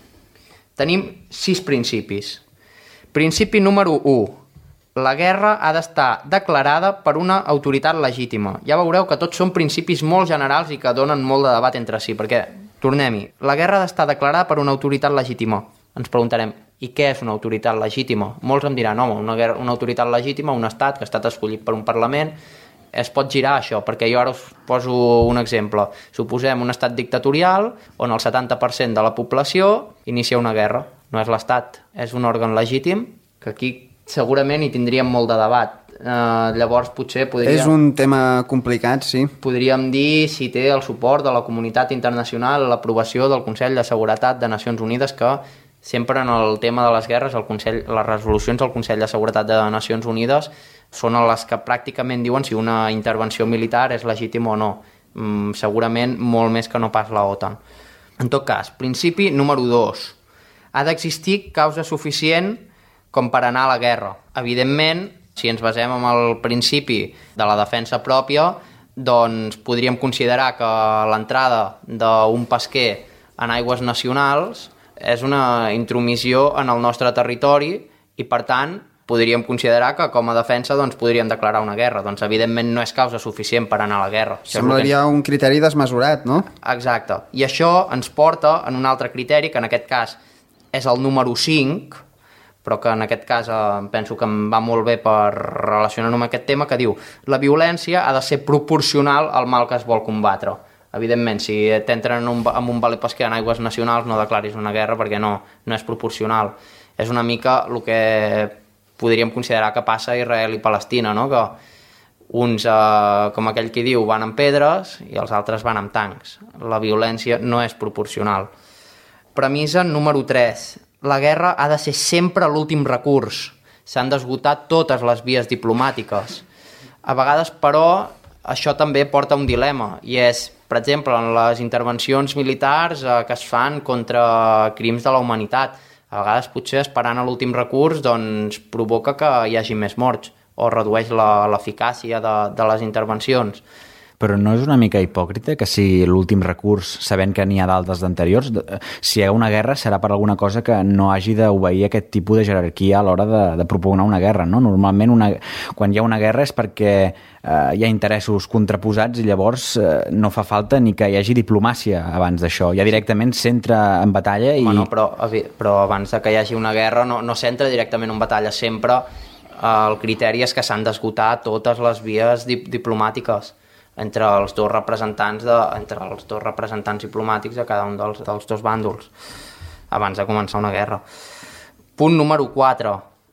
Tenim 6 principis. Principi número 1. La guerra ha d'estar declarada per una autoritat legítima. Ja veureu que tots són principis molt generals i que donen molt de debat entre si, perquè, tornem-hi, la guerra ha d'estar declarada per una autoritat legítima. Ens preguntarem, i què és una autoritat legítima? Molts em diran, home, una autoritat legítima, un estat que ha estat escollit per un Parlament, es pot girar això, perquè jo ara us poso un exemple. Suposem un estat dictatorial on el 70% de la població inicia una guerra. No és l'estat, és un òrgan legítim, que aquí segurament hi tindríem molt de debat. Llavors potser és un tema complicat, sí. Podríem dir si té el suport de la comunitat internacional, l'aprovació del Consell de Seguretat de Nacions Unides, que sempre en el tema de les guerres, les resolucions del Consell de Seguretat de Nacions Unides són les que pràcticament diuen si una intervenció militar és legítima o no. Segurament molt més que no pas la OTAN. En tot cas, principi número 2. Ha d'existir causa suficient com per anar a la guerra. Evidentment, si ens basem en el principi de la defensa pròpia, doncs podríem considerar que l'entrada d'un pesquer en aigües nacionals és una intromissió en el nostre territori i, per tant, podríem considerar que com a defensa doncs, podríem declarar una guerra. Doncs, evidentment, no és causa suficient per anar a la guerra. Semblaria un criteri desmesurat, no? Exacte. I això ens porta en un altre criteri, que en aquest cas és el número 5, però que en aquest cas penso que em va molt bé per relacionar-ho amb aquest tema, que diu: la violència ha de ser proporcional al mal que es vol combatre. Evidentment, si t'entren en un valer pesquer en aigües nacionals, no declaris una guerra perquè no és proporcional. És una mica el que podríem considerar que passa a Israel i Palestina, no? Que uns, com aquell qui diu, van amb pedres i els altres van amb tancs. La violència no és proporcional. Premissa número 3. La guerra ha de ser sempre l'últim recurs. S'han d'esgotar totes les vies diplomàtiques. A vegades, però, això també porta un dilema, i és, per exemple, en les intervencions militars que es fan contra crims de la humanitat. A vegades, potser, esperant a l'últim recurs, doncs, provoca que hi hagi més morts o redueix l'eficàcia de les intervencions. Però no és una mica hipòcrita que sigui l'últim recurs, sabent que n'hi ha d'altres d'anteriors? Si hi ha una guerra serà per alguna cosa que no hagi d'obeir aquest tipus de jerarquia a l'hora de propugnar una guerra, no? Normalment, quan hi ha una guerra és perquè hi ha interessos contraposats i llavors no fa falta ni que hi hagi diplomàcia abans d'això. Ja directament s'entra en batalla i... Bueno, però abans que hi hagi una guerra no s'entra directament en batalla. Sempre el criteri és que s'han d'esgotar totes les vies diplomàtiques entre els dos representants diplomàtics de cada un dels dos bàndols abans de començar una guerra. Punt número 4.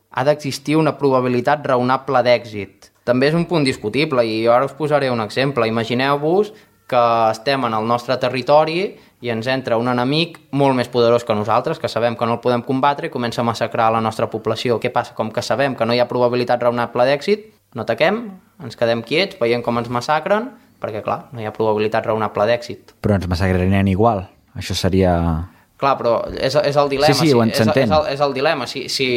Ha d'existir una probabilitat raonable d'èxit. També és un punt discutible i ara us posaré un exemple. Imagineu-vos que estem en el nostre territori i ens entra un enemic molt més poderós que nosaltres, que sabem que no el podem combatre i comença a massacrar la nostra població. Què passa? Com que sabem que no hi ha probabilitat raonable d'èxit, no ataquem, ens quedem quiets, veiem com ens massacren, perquè, clar, no hi ha probabilitat raonable d'èxit. Però ens massacrarien igual. Això seria... Clar, però és el dilema. Sí, s'entén. És el dilema. Si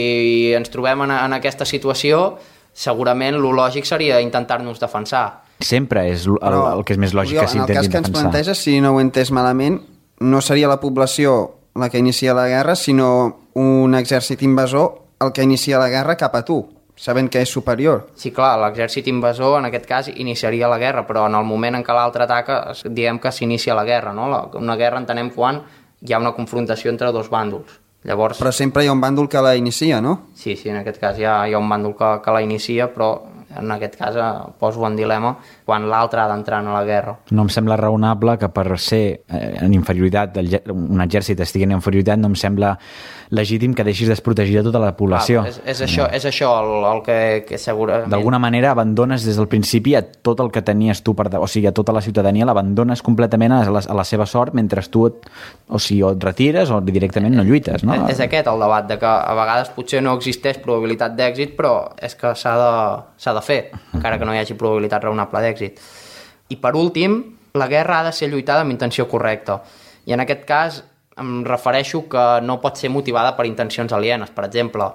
ens trobem en aquesta situació, segurament lo lògic seria intentar-nos defensar. Sempre és el que és més lògic, que s'intentin defensar. En el cas que ens planteja, si no ho he entès malament, no seria la població la que inicia la guerra, sinó un exèrcit invasor el que inicia la guerra cap a tu, sabent que és superior. Sí, clar, l'exèrcit invasor en aquest cas iniciaria la guerra, però en el moment en què l'altre ataca diem que s'inicia la guerra, no? Una guerra entenem quan hi ha una confrontació entre dos bàndols. Llavors... Però sempre hi ha un bàndol que la inicia, no? Sí, en aquest cas hi ha un bàndol que la inicia, però en aquest cas poso en dilema quan l'altre ha d'entrar en la guerra. No em sembla raonable que per ser en inferioritat, un exèrcit estigui en inferioritat, no em sembla legítim que deixis desprotegida tota la població. És això el que segurament... D'alguna manera abandones des del principi a tot el que tenies tu, o sigui, a tota la ciutadania l'abandones completament a la seva sort mentre tu o et retires o directament no lluites, no? És aquest el debat, de que a vegades potser no existeix probabilitat d'èxit, però és que s'ha de fer, encara que no hi hagi probabilitat raonable d'èxit. I per últim, la guerra ha de ser lluitada amb intenció correcta. I en aquest cas em refereixo que no pot ser motivada per intencions alienes. Per exemple,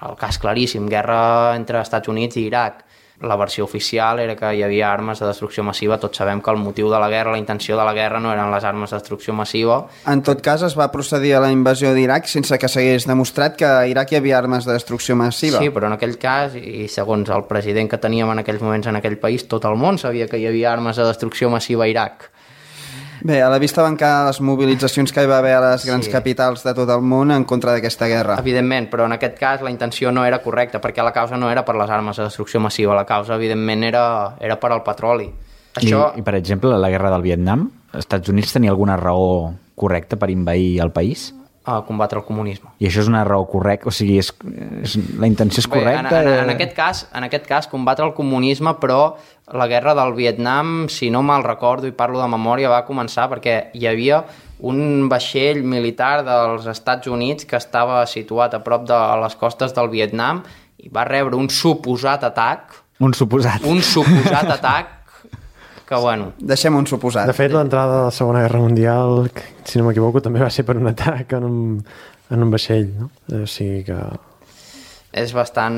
el cas claríssim, guerra entre Estats Units i Iraq. La versió oficial era que hi havia armes de destrucció massiva. Tots sabem que el motiu de la guerra, la intenció de la guerra no eren les armes de destrucció massiva. En tot cas, es va procedir a la invasió d'Iraq sense que s'hagués demostrat que a Iraq hi havia armes de destrucció massiva. Sí, però en aquell cas, i segons el president que teníem en aquells moments en aquell país, tot el món sabia que hi havia armes de destrucció massiva a Iraq. Bé, a la vista van quedar les mobilitzacions que hi va haver a les grans capitals de tot el món en contra d'aquesta guerra. Evidentment, però en aquest cas la intenció no era correcta, perquè la causa no era per les armes de destrucció massiva, la causa evidentment era per al petroli. Això... I per exemple, la guerra del Vietnam, els Estats Units tenia alguna raó correcta per invair el país? A combatre el comunisme. I això és una raó correcta? O sigui, la intenció és correcta? Bé, en aquest cas, combatre el comunisme, però la guerra del Vietnam, si no mal recordo i parlo de memòria, va començar perquè hi havia un vaixell militar dels Estats Units que estava situat a prop de les costes del Vietnam i va rebre un suposat atac. Un suposat Atac que, bueno... Deixem un suposat. De fet, l'entrada de la Segona Guerra Mundial, si no m'equivoco, també va ser per un atac en un vaixell, no? O sigui que... És bastant...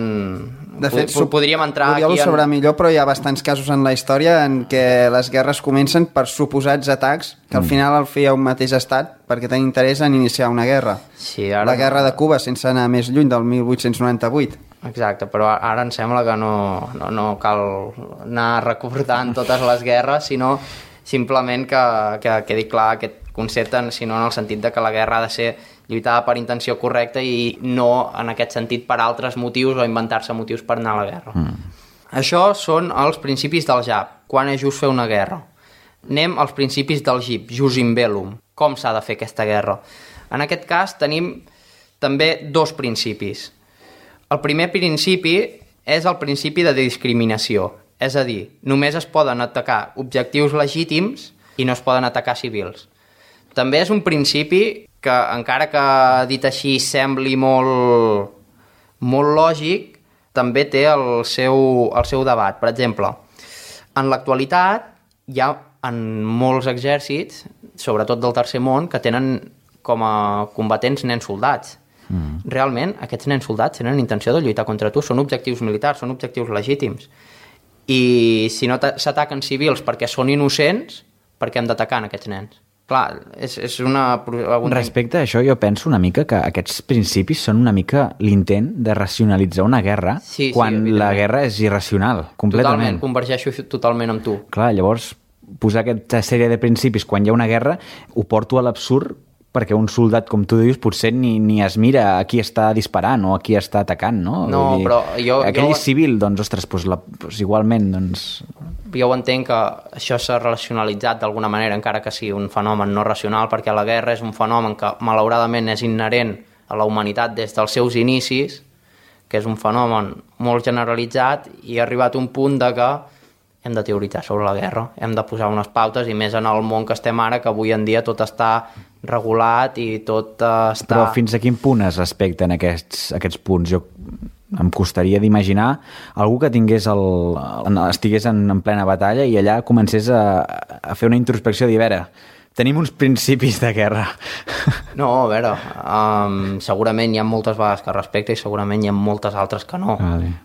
De fet, podríem entrar Oriol aquí... ho sabrà millor, però hi ha bastants casos en la història en què les guerres comencen per suposats atacs que al final el feia un mateix estat perquè tenia interès en iniciar una guerra. Sí, ara la guerra de Cuba, sense anar més lluny, del 1898. Exacte, però ara em sembla que no cal anar recordant totes les guerres, sinó simplement que quedi clar aquest concepte, sinó en el sentit de que la guerra ha de ser lluitada per intenció correcta i no en aquest sentit per altres motius o inventar-se motius per anar a la guerra. Això són els principis del JAP, quan és just fer una guerra. Anem als principis del GIP, Jus in Bellum, com s'ha de fer aquesta guerra. En aquest cas tenim també dos principis. El primer principi és el principi de discriminació, és a dir, només es poden atacar objectius legítims i no es poden atacar civils. També és un principi que, encara que dit així sembli molt lògic, també té el seu debat. Per exemple, en l'actualitat hi ha en molts exèrcits, sobretot del tercer món, que tenen com a combatents nens soldats. Realment, aquests nens soldats tenen intenció de lluitar contra tu, són objectius militars, són objectius legítims. I si no s'ataquen civils perquè són innocents, per què hem d'atacar aquests nens? Clar, és una... Respecte a això, jo penso una mica que aquests principis són una mica l'intent de racionalitzar una guerra quan la guerra és irracional, completament. Totalment, convergeixo totalment amb tu. Clar, llavors, posar aquesta sèrie de principis quan hi ha una guerra ho porto a l'absurd perquè un soldat, com tu dius, potser ni es mira a qui està disparant o a qui està atacant, no? No, però aquell civil, doncs, ostres, igualment, doncs... Jo entenc que això s'ha racionalitzat d'alguna manera, encara que sigui un fenomen no racional, perquè la guerra és un fenomen que, malauradament, és inherent a la humanitat des dels seus inicis, que és un fenomen molt generalitzat, i ha arribat un punt de que hem de teoritzar sobre la guerra, hem de posar unes pautes, i més en el món que estem ara, que avui en dia tot està regulat i tot està... Però fins a quin punt es respecten aquests punts? Jo em costaria d'imaginar algú que estigués en plena batalla i allà comencés a fer una introspecció de dir, a veure, tenim uns principis de guerra. No, a veure, segurament hi ha moltes vegades que respecta i segurament hi ha moltes altres que no.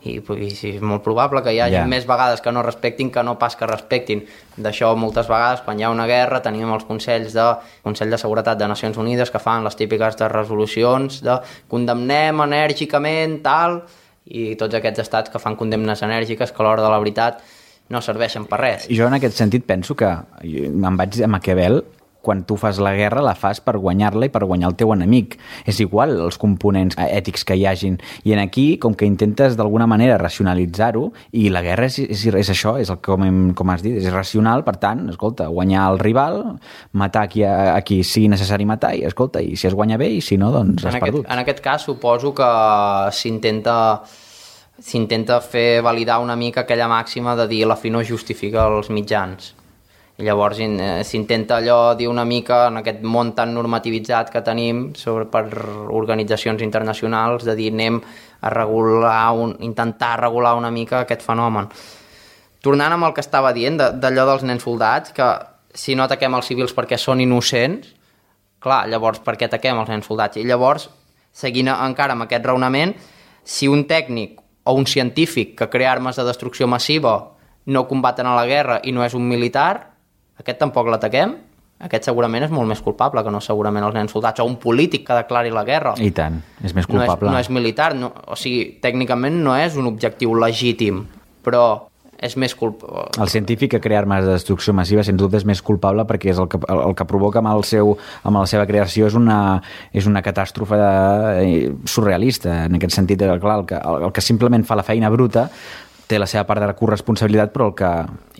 I és molt probable que hi hagi més vegades que no respectin que no pas que respectin. D'això moltes vegades, quan hi ha una guerra, tenim els Consell de Seguretat de Nacions Unides que fan les típiques de resolucions de condemnem enèrgicament, tal, i tots aquests estats que fan condemnes enèrgiques que a l'hora de la veritat no serveixen per res. Jo en aquest sentit penso que me'n vaig a Maquiavel, quan tu fas la guerra la fas per guanyar-la i per guanyar el teu enemic. És igual els components ètics que hi hagin. I en aquí, com que intentes d'alguna manera racionalitzar-ho, i la guerra és això, és el com has dit, és irracional, per tant, escolta, guanyar el rival, matar a qui sigui necessari matar, i escolta, i si es guanya bé, i si no, doncs has perdut. En aquest cas suposo que s'intenta fer validar una mica aquella màxima de dir la fi no justifica els mitjans. I llavors s'intenta allò dir una mica en aquest món tan normativitzat que tenim per organitzacions internacionals de dir anem a intentar regular una mica aquest fenomen. Tornant amb el que estava dient d'allò dels nens soldats, que si no ataquem els civils perquè són innocents, clar, llavors per què ataquem els nens soldats? I llavors, seguint encara amb aquest raonament, si un tècnic o un científic que crea armes de destrucció massiva no combaten a la guerra i no és un militar, aquest tampoc l'ataquem? Aquest segurament és molt més culpable que no segurament els nens soldats, o un polític que declari la guerra. I tant, és més culpable. No és militar, o sigui, tècnicament no és un objectiu legítim, però és més culpable. El científic que crea armes de destrucció massiva sens dubte és més culpable perquè és el que provoca amb la seva creació és una catàstrofe surrealista, en aquest sentit, clar, el que simplement fa la feina bruta té la seva part de corresponsabilitat, però el que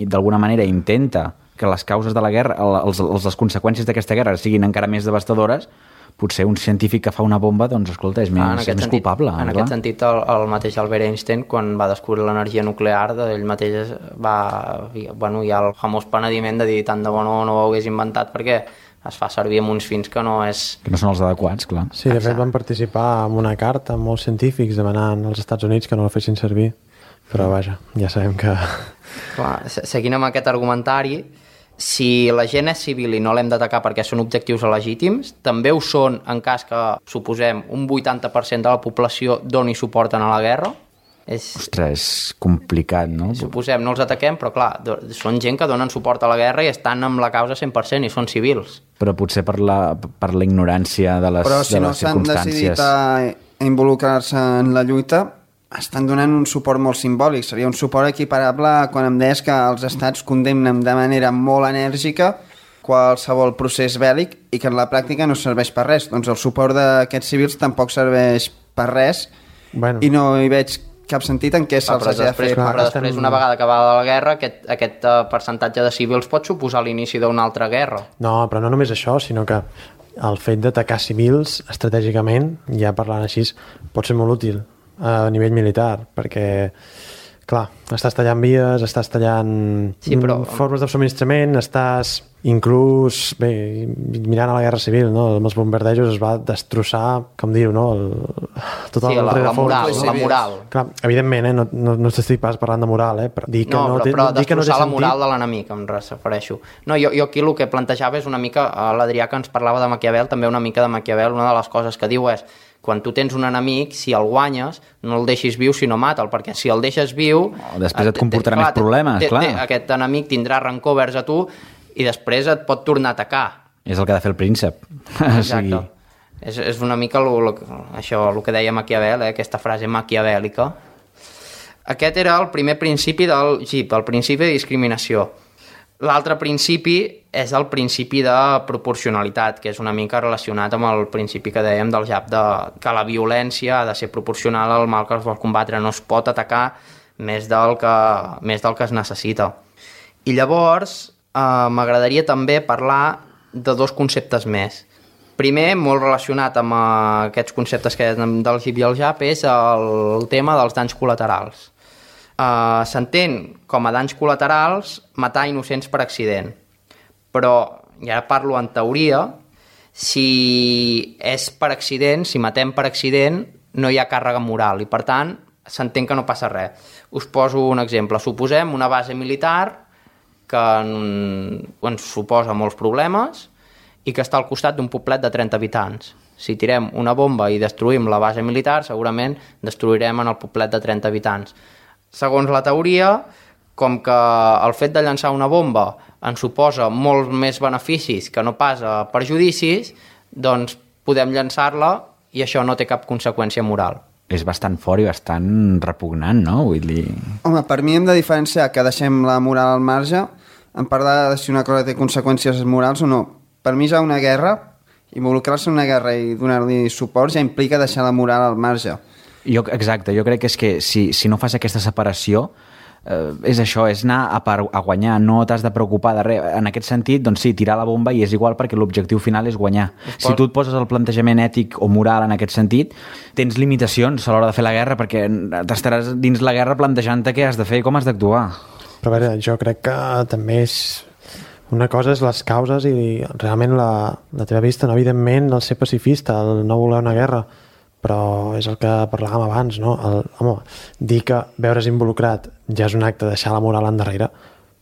d'alguna manera intenta que les causes de la guerra, les conseqüències d'aquesta guerra siguin encara més devastadores, potser un científic que fa una bomba, doncs, escolta, és més culpable. En aquest sentit, el mateix Albert Einstein, quan va descobrir l'energia nuclear, ell mateix hi ha el famós penediment de dir tant de bo no ho hagués inventat, perquè es fa servir amb uns fins que no és... Que no són els adequats, clar. Sí, de fet van participar en una carta amb molts científics demanant als Estats Units que no la fessin servir, però vaja, ja sabem que... Clar, seguint amb aquest argumentari, si la gent és civil i no l'hem d'atacar perquè són objectius legítims, també ho són en cas que, suposem, un 80% de la població doni suport a la guerra. Ostres, és complicat, no? Suposem, no els ataquem, però clar, són gent que donen suport a la guerra i estan amb la causa 100% i són civils. Però potser per la ignorància de les circumstàncies... Però si no s'han decidit a involucrar-se en la lluita, estan donant un suport molt simbòlic. Seria un suport equiparable quan em deies que els estats condemnen de manera molt enèrgica qualsevol procés bèl·lic i que en la pràctica no serveix per res. Doncs el suport d'aquests civils tampoc serveix per res i no hi veig cap sentit en què se'ls hagi de fer. Però després, una vegada acabada la guerra, aquest percentatge de civils pot suposar l'inici d'una altra guerra. No, però no només això, sinó que el fet d'atacar civils estratègicament, ja parlant així, pot ser molt útil a nivell militar, perquè clar, estàs tallant vies, estàs tallant formes de subministrament, estàs inclús, bé, mirant a la guerra civil, no? Amb els bombardejos es va destrossar, com dir-ho, no? La moral. Clar, evidentment, no estic pas parlant de moral, però dir que però destrossar la moral de l'enemic, em refereixo. No, jo aquí el que plantejava és una mica, l'Adrià que ens parlava de Maquiavel, també una mica de Maquiavel, una de les coses que diu és quan tu tens un enemic, si el guanyes, no el deixis viu, sinó mata'l, perquè si el deixes viu... Després et comportarà més problemes, clar. Aquest enemic tindrà rancor vers a tu i després et pot tornar a atacar. És el que ha de fer el príncep. Exacte. És una mica això, el que deia Maquiavel, aquesta frase maquiavèlica. Aquest era el primer principi del GIP, el principi de discriminació. L'altre principi és el principi de proporcionalitat, que és una mica relacionat amb el principi que dèiem del JAP, que la violència ha de ser proporcional al mal que es vol combatre, no es pot atacar més del que es necessita. I llavors m'agradaria també parlar de dos conceptes més. Primer, molt relacionat amb aquests conceptes que del GIP i el JAP, és el tema dels danys col·laterals. S'entén com a danys col·laterals matar innocents per accident, però, i ara parlo en teoria, si és per accident, si matem per accident, no hi ha càrrega moral i per tant s'entén que no passa res. Us poso un exemple. Suposem una base militar que ens suposa molts problemes i que està al costat d'un poblet de 30 habitants. Si tirem una bomba i destruïm la base militar, segurament destruirem en el poblet de 30 habitants. Segons la teoria, com que el fet de llançar una bomba ens suposa molts més beneficis que no pas perjudicis, doncs podem llançar-la i això no té cap conseqüència moral. És bastant fort i bastant repugnant, no? Vull dir... Home, per mi hem de diferenciar que deixem la moral al marge en parlar de si una cosa té conseqüències morals o no. Per mi ja una guerra, involucrar-se en una guerra i donar-li suport ja implica deixar la moral al marge. Exacte, jo crec que és que si no fas aquesta separació és això, és anar a guanyar, no t'has de preocupar de res. En aquest sentit, doncs sí, tirar la bomba i és igual perquè l'objectiu final és guanyar. Si tu et poses el plantejament ètic o moral en aquest sentit, tens limitacions a l'hora de fer la guerra perquè t'estaràs dins la guerra plantejant-te què has de fer i com has d'actuar. Però a veure, jo crec que també és... Una cosa és les causes i realment la teva vista, no? Evidentment el ser pacifista, el no voler una guerra, però és el que parlàvem abans, no? Dir que veure's involucrat ja és un acte de deixar la moral endarrere,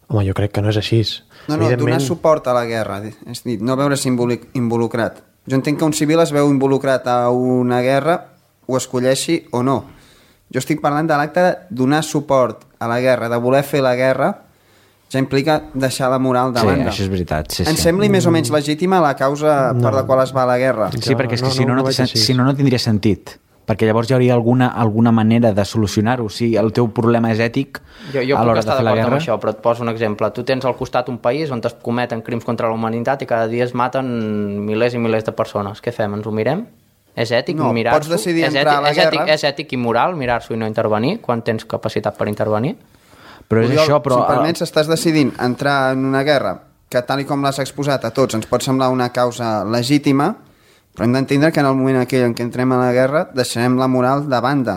home, jo crec que no és així. No, donar suport a la guerra, és dir, no veure's involucrat. Jo entenc que un civil es veu involucrat a una guerra, ho escolleixi o no. Jo estic parlant de l'acte de donar suport a la guerra, de voler fer la guerra, ja implica deixar la moral de banda. Sí, això és veritat. Sí. Em sembli més o menys legítima la causa per la qual es va a la guerra. Sí, perquè és que si no, no tindria sentit. Perquè llavors hi hauria alguna manera de solucionar-ho. Si el teu problema és ètic a l'hora de fer la guerra... Amb això, però et poso un exemple. Tu tens al costat un país on es cometen crims contra la humanitat i cada dia es maten milers i milers de persones. Què fem? Ens ho mirem? És ètic mirar-s'ho? Pots decidir entrar a la guerra... És ètic i moral mirar-s'ho i no intervenir quan tens capacitat per intervenir? Però és això, però... Si em permets, estàs decidint entrar en una guerra que, tal com l'has exposat a tots, ens pot semblar una causa legítima, però hem d'entendre que en el moment aquell en què entrem a la guerra deixarem la moral de banda.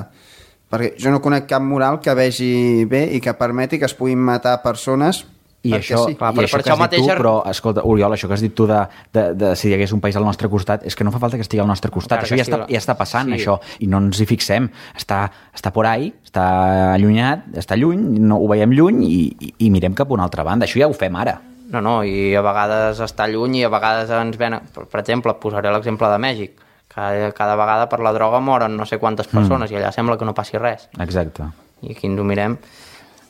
Perquè jo no conec cap moral que vegi bé i que permeti que es puguin matar persones I Perquè això, sí. Clar, i això per que això has dit mateix... tu, però escolta, Oriol, això que has dit tu de si hi hagués un país al nostre costat, és que no fa falta que estigui al nostre costat, Encara això que ja està passant, sí. això, i no ens hi fixem, està por ahí, està allunyat, està lluny, no ho veiem lluny i mirem cap a una altra banda, això ja ho fem ara. No, i a vegades està lluny i a vegades ens ven... Per exemple, posaré l'exemple de Mèxic. Cada vegada per la droga moren no sé quantes persones i allà sembla que no passi res. Exacte. I aquí ens ho mirem.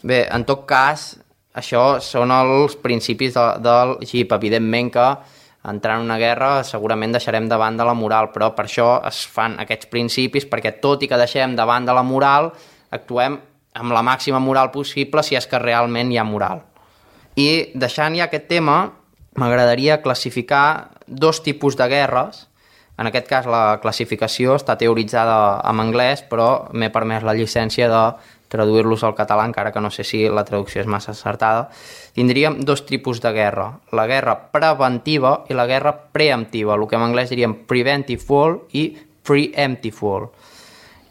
Bé, en tot cas, això són els principis del GIP. Evidentment que entrar en una guerra segurament deixarem de banda la moral, però per això es fan aquests principis, perquè tot i que deixem de banda la moral, actuem amb la màxima moral possible si és que realment hi ha moral. I deixant ja aquest tema, m'agradaria classificar 2 tipus de guerres. En aquest cas la classificació està teoritzada en anglès, però m'he permès la llicència de traduir-los al català, encara que no sé si la traducció és massa acertada. Tindríem 2 tipus de guerra, la guerra preventiva i la guerra preemptiva, el que en anglès diríem preventive war i preemptive war.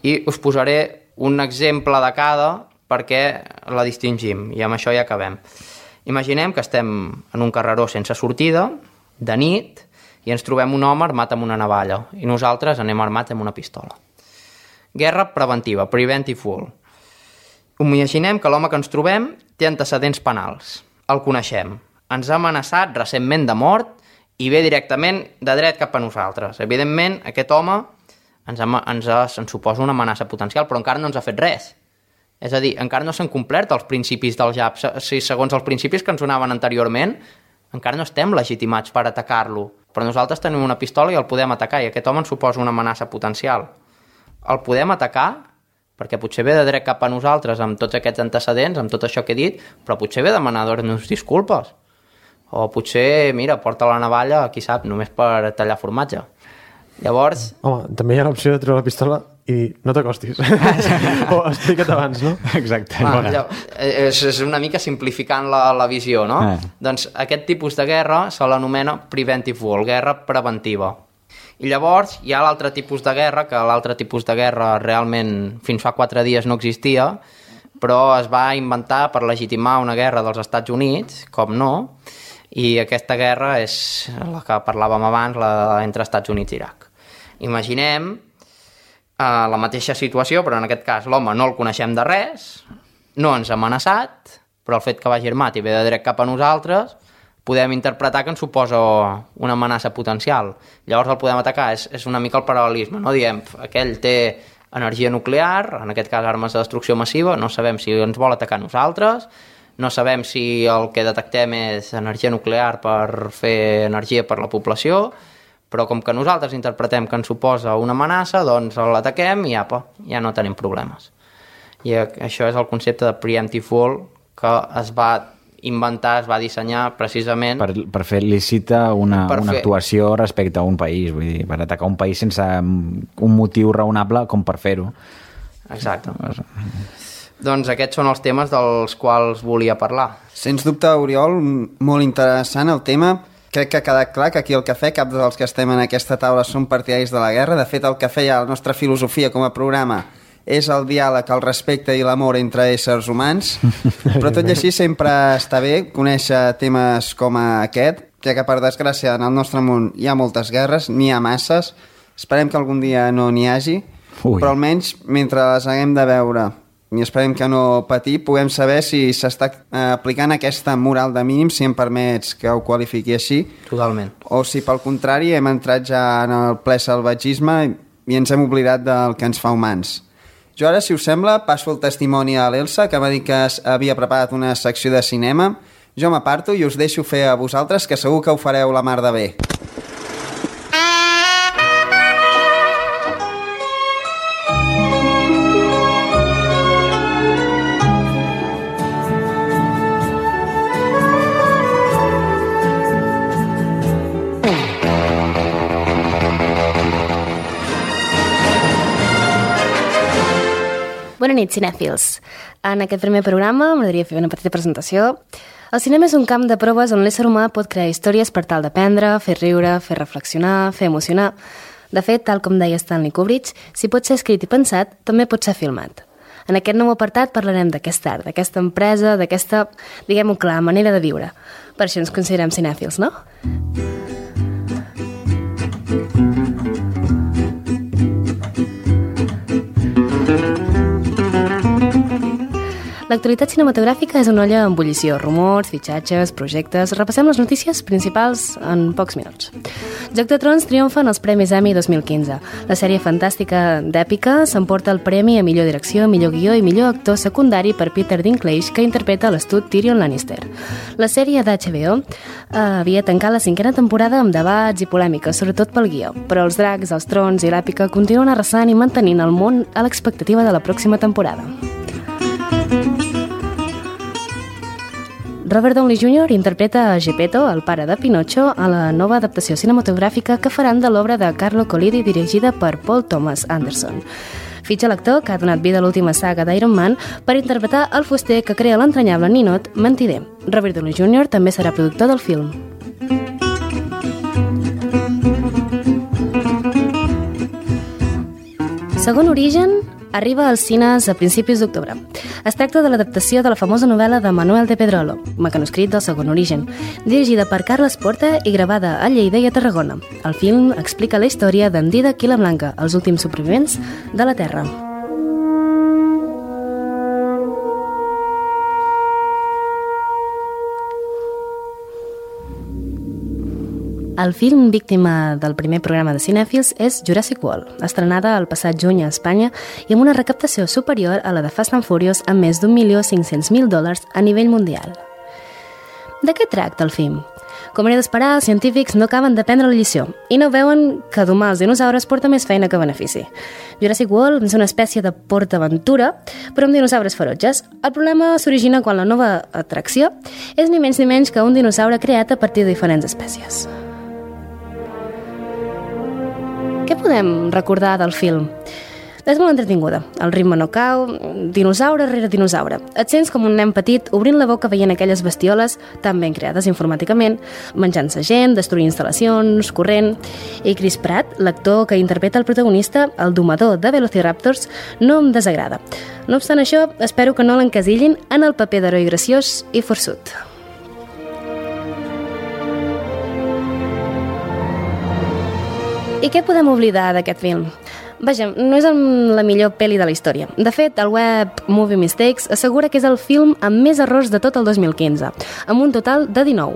I us posaré un exemple de cada perquè la distingim, i amb això ja acabem. Imaginem que estem en un carreró sense sortida, de nit, i ens trobem un home armat amb una navalla, i nosaltres anem armats amb una pistola. Guerra preventiva, preventive war. Imaginem que l'home que ens trobem té antecedents penals. El coneixem. Ens ha amenaçat recentment de mort i ve directament de dret cap a nosaltres. Evidentment, aquest home ens suposa una amenaça potencial, però encara no ens ha fet res. És a dir, encara no s'han complert els principis del JAP. Si segons els principis que ens donaven anteriorment, encara no estem legitimats per atacar-lo. Però nosaltres tenim una pistola i el podem atacar, i aquest home ens suposa una amenaça potencial. El podem atacar perquè potser ve de dret cap a nosaltres amb tots aquests antecedents, amb tot això que he dit, però potser ve demanar-nos disculpes. O potser, mira, porta la navalla, qui sap, només per tallar formatge. Llavors... Home, també hi ha l'opció de treure la pistola i no t'acostis. O explica't abans, no? Exacte. És una mica simplificant la visió, no? Doncs aquest tipus de guerra se l'anomena preventive war, guerra preventiva. I llavors hi ha l'altre tipus de guerra, que l'altre tipus de guerra realment fins fa 4 dies no existia, però es va inventar per legitimar una guerra dels Estats Units, com no, i aquesta guerra és la que parlàvem abans, la entre Estats Units i Iraq. Imaginem la mateixa situació, però en aquest cas l'home no el coneixem de res, no ens ha amenaçat, però el fet que vagi armat i ve de dret cap a nosaltres, podem interpretar que ens suposa una amenaça potencial. Llavors el podem atacar, és una mica el paral·lelisme, no? Diem, aquell té energia nuclear, en aquest cas armes de destrucció massiva, no sabem si ens vol atacar nosaltres, no sabem si el que detectem és energia nuclear per fer energia per la població, però com que nosaltres interpretem que ens suposa una amenaça, doncs l'ataquem i apa, ja no tenim problemes. I això és el concepte de preemptive war que es va inventar, es va dissenyar precisament... Per fer lícita una actuació respecte a un país, vull dir, per atacar un país sense un motiu raonable com per fer-ho. Exacte. Doncs aquests són els temes dels quals volia parlar. Sens dubte, Oriol, molt interessant el tema. Crec que ha quedat clar que aquí al Cafè cap dels que estem en aquesta taula són partidaris de la guerra. De fet, el Cafè ja, la nostra filosofia com a programa, és el diàleg, el respecte i l'amor entre éssers humans, però tot i així sempre està bé conèixer temes com aquest, ja que per desgràcia en el nostre món hi ha moltes guerres, n'hi ha masses, esperem que algun dia no n'hi hagi, però almenys mentre les haguem de veure i esperem que no patir, puguem saber si s'està aplicant aquesta moral de mínim, si em permets que ho qualifiqui així. Totalment. O si pel contrari hem entrat ja en el ple salvatgisme i ens hem oblidat del que ens fa humans. Jo ara, si us sembla, passo el testimoni a l'Elsa, que m'ha dit que havia preparat una secció de cinema. Jo m'aparto i us deixo fer a vosaltres, que segur que ho fareu la mar de bé. Bona nit, cinèfils. En aquest primer programa m'agradaria fer una petita presentació. El cinema és un camp de proves on l'ésser humà pot crear històries per tal d'aprendre, fer riure, fer reflexionar, fer emocionar. De fet, tal com deia Stanley Kubrick, si pot ser escrit i pensat, també pot ser filmat. En aquest nou apartat parlarem d'aquest art, d'aquesta empresa, d'aquesta, diguem-ho clar, manera de viure. Per això ens considerem cinèfils, no? L'actualitat cinematogràfica és una olla en ebullició. Rumors, fitxatges, projectes... Repassem les notícies principals en pocs minuts. Joc de Trons triomfa en els Premis Emmy 2015. La sèrie fantàstica d'èpica s'emporta el premi a millor direcció, millor guió i millor actor secundari per Peter Dinklage, que interpreta l'astut Tyrion Lannister. La sèrie d'HBO havia tancat la 5ª temporada amb debats i polèmiques, sobretot pel guió. Però els dracs, els trons i l'èpica continuen arrasant i mantenint el món a l'expectativa de la pròxima temporada. Robert Downey Jr. interpreta a Geppetto, el pare de Pinocho, a la nova adaptació cinematogràfica que faran de l'obra de Carlo Collodi dirigida per Paul Thomas Anderson. Fitxa l'actor que ha donat vida a l'última saga d'Iron Man per interpretar el fuster que crea l'entranyable ninot Mentider. Robert Downey Jr. també serà productor del film. Segon Origen arriba als cines a principis d'octubre. Es tracta de l'adaptació de la famosa novel·la de Manuel de Pedrolo, mecanoscrit del Segon Origen, dirigida per Carles Porta i gravada a Lleida i a Tarragona. El film explica la història d'en Dídac i la Blanca, els últims supervivents de la Terra. El film víctima del primer programa de cinèfils és Jurassic World, estrenada el passat juny a Espanya i amb una recaptació superior a la de Fast and Furious amb més $1.500.000 a nivell mundial. De què tracta el film? Com era d'esperar, els científics no acaben d'aprendre la lliçó i no veuen que domar els dinosaures porta més feina que benefici. Jurassic World és una espècie de PortAventura, però amb dinosaures ferotges. El problema s'origina quan la nova atracció és ni menys que un dinosaure creat a partir de diferents espècies. Què podem recordar del film? És molt entretinguda. El ritme no cau, dinosaure rere dinosaure. Et sents com un nen petit obrint la boca veient aquelles bestioles tan ben creades informàticament, menjant-se gent, destruint instal·lacions, corrent... I Chris Pratt, l'actor que interpreta el protagonista, el domador de Velociraptors, no em desagrada. No obstant això, espero que no l'encasillin en el paper d'heroi graciós i forçut. I què podem oblidar d'aquest film? Vaja, no és la millor pel·li de la història. De fet, el web Movie Mistakes assegura que és el film amb més errors de tot el 2015, amb un total de 19.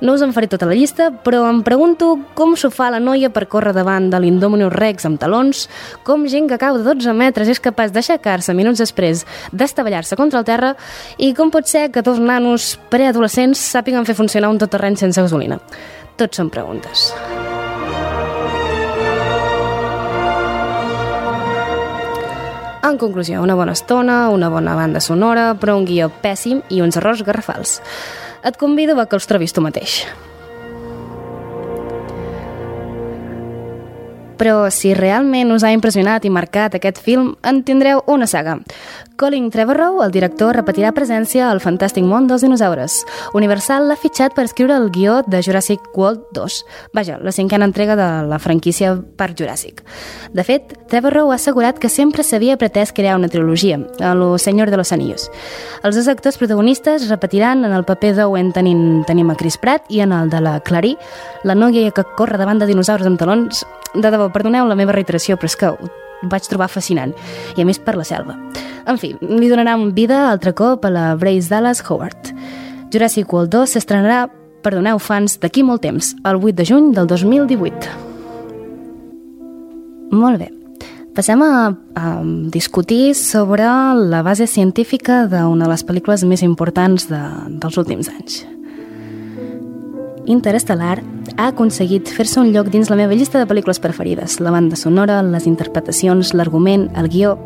No us en faré tota la llista, però em pregunto com s'ho fa la noia per córrer davant de l'Indominus Rex amb talons, com gent que cau de 12 metres és capaç d'aixecar-se minuts després d'estavellar-se contra el terra i com pot ser que dos nanos preadolescents sàpiguen fer funcionar un tot-terreny sense gasolina. Tots són preguntes. En conclusió, una bona estona, una bona banda sonora, però un guió pèssim i uns errors garrafals. Et convido a que els trobis tu mateix. Però si realment us ha impressionat i marcat aquest film, en tindreu una saga. Colin Trevorrow, el director, repetirà presència al fantàstic món dels dinosaures. Universal l'ha fitxat per escriure el guió de Jurassic World 2. Vaja, la 5a entrega de la franquícia Parc Juràssic. De fet, Trevorrow ha assegurat que sempre s'havia pretès crear una trilogia, a lo Senyor de los Anillos. Els dos actors protagonistes repetiran en el paper d'Owen tenim a Chris Pratt i en el de la Clary, la noia que corre davant de dinosaures amb talons. De debò, perdoneu la meva reiteració, però és que ho vaig trobar fascinant, i a més per la selva. En fi, li donaran vida altre cop a la Bryce Dallas Howard. Jurassic World 2 s'estrenarà, perdoneu fans, d'aquí molt temps, el 8 de juny del 2018. Molt bé. Passem a discutir sobre la base científica d'una de les pel·lícules més importants dels últims anys. Interestelar ha aconseguit fer-se un lloc dins la meva llista de pel·lícules preferides. La banda sonora, les interpretacions, l'argument, el guió...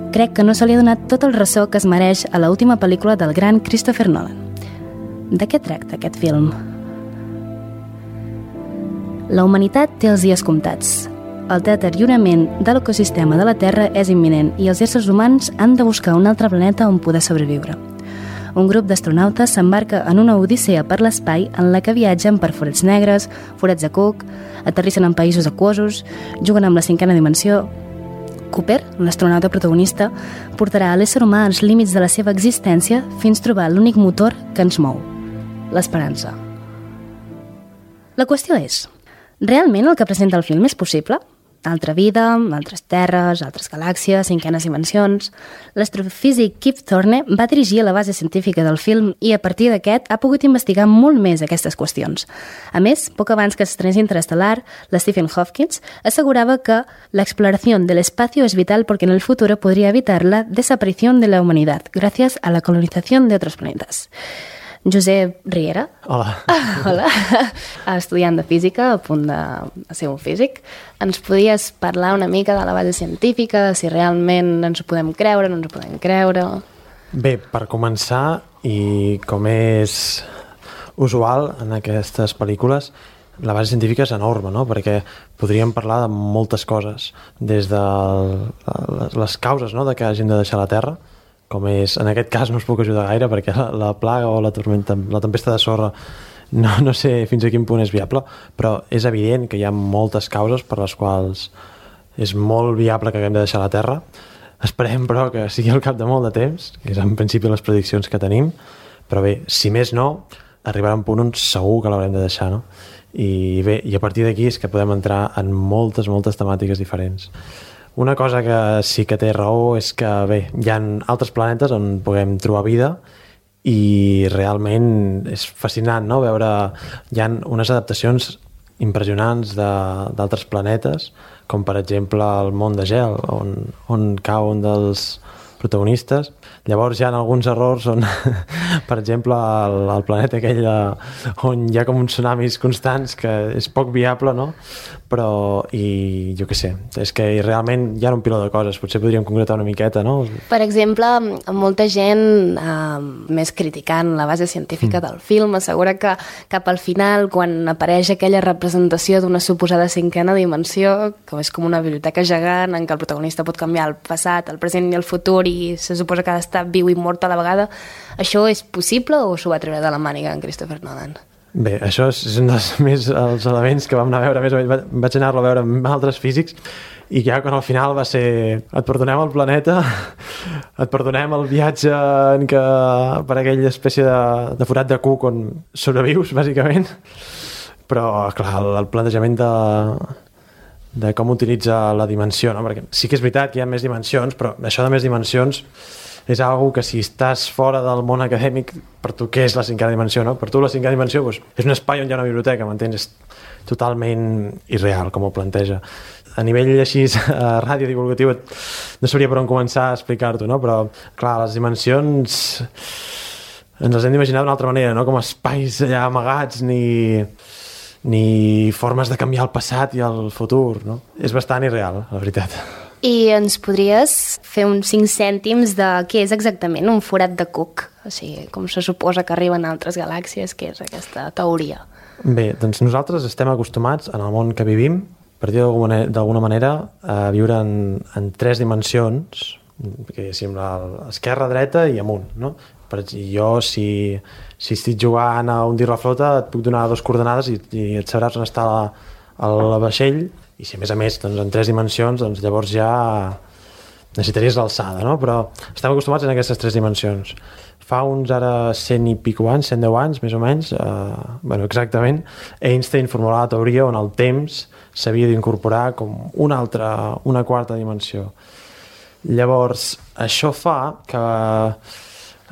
Crec que no se li ha donat tot el ressò que es mereix a l'última pel·lícula del gran Christopher Nolan. De què tracta aquest film? La humanitat té els dies comptats. El deteriorament de l'ecosistema de la Terra és imminent i els éssers humans han de buscar un altre planeta on poder sobreviure. Un grup d'astronautes s'embarca en una odissea per l'espai en la que viatgen per forats negres, forats de Cook, aterrissen en països aquosos, juguen amb la 5a dimensió... Cooper, l'astronauta protagonista, portarà a l'ésser humà als límits de la seva existència fins trobar l'únic motor que ens mou, l'esperança. La qüestió és, realment el que presenta el film és possible? Altra vida, altres terres, altres galàxies, cinquenes dimensions... L'astrofísic Kip Thorne va dirigir la base científica del film i a partir d'aquest ha pogut investigar molt més aquestes qüestions. A més, poc abans que s'estrenés Interestelar, la Stephen Hawking assegurava que l'exploració de l'espacio es vital porque en el futuro podría evitar la desaparición de la humanidad gracias a la colonización de otros planetas. Josep Riera. Hola. Hola. Estudiant de física, a punt de ser un físic. Ens podies parlar una mica de la base científica, de si realment ens ho podem creure, no ens ho podem creure... Bé, per començar, i com és usual en aquestes pel·lícules, la base científica és enorme, no? Perquè podríem parlar de moltes coses, des de les causes, no?, de que hagin de deixar la Terra, com és, en aquest cas no us puc ajudar gaire perquè la plaga o la tempesta de sorra no sé fins a quin punt és viable, però és evident que hi ha moltes causes per les quals és molt viable que haguem de deixar la Terra. Esperem, però, que sigui al cap de molt de temps, que és en principi les prediccions que tenim, però bé, si més no, arribarà un punt on segur que l'haurem de deixar, no? I bé, i a partir d'aquí és que podem entrar en moltes temàtiques diferents. Una cosa que sí que té raó és que, bé, hi ha altres planetes on puguem trobar vida i realment és fascinant, no?, veure... Hi ha unes adaptacions impressionants d'altres planetes, com per exemple el món de gel, on cau un dels protagonistes. Llavors hi ha alguns errors on, per exemple, el planeta aquell on hi ha com uns tsunamis constants, que és poc viable, no? Però, i jo què sé, és que realment hi ha un piló de coses, potser podríem concretar una miqueta, no? Per exemple, molta gent, més criticant la base científica del film, assegura que cap al final, quan apareix aquella representació d'una suposada cinquena dimensió, que és com una biblioteca gegant en què el protagonista pot canviar el passat, el present i el futur, i se suposa que ha d'estar viu i mort a la vegada, això és possible o s'ho va treure de la màniga en Christopher Nolan? Bé, això és un dels els elements que vam anar a veure, més o menys vaig anar-lo a veure amb altres físics, i ja quan al final va ser et perdonem el planeta, et perdonem el viatge per aquella espècie de forat de cuc on sobrevius, bàsicament, però clar, el plantejament de com utilitza la dimensió, no? Perquè sí que és veritat que hi ha més dimensions, però això de més dimensions és algo que si estàs fora del món acadèmic, per tu què és la cinquena dimensió, no? Per tu la cinquena dimensió és un espai on hi ha una biblioteca, m'entens? És totalment irreal, com ho planteja. A nivell així radiodivulgatiu no sabria per on començar a explicar-t'ho, no? Però, clar, les dimensions ens les hem d'imaginar d'una altra manera, no? Com espais allà amagats, ni formes de canviar el passat i el futur, no? És bastant irreal, la veritat. I ens podries fer uns 5 cèntims de què és exactament un forat de cuc? O sigui, com se suposa que arriben a altres galàxies, què és aquesta teoria? Bé, doncs nosaltres estem acostumats en el món que vivim, per dir d'alguna manera, a viure en 3 dimensions, que és l'esquerra, dreta i amunt, no? Jo, si estic jugant a hundir la flota, et puc donar 2 coordenades i et sabràs on està el vaixell, i si a més doncs, en 3 dimensions, doncs llavors ja necessitaries l'alçada, no? Però estem acostumats en aquestes 3 dimensions. Fa uns ara 100 i pico anys, 110 anys, més o menys, exactament, Einstein formulava la teoria on el temps s'havia d'incorporar com una quarta dimensió. Llavors, això fa que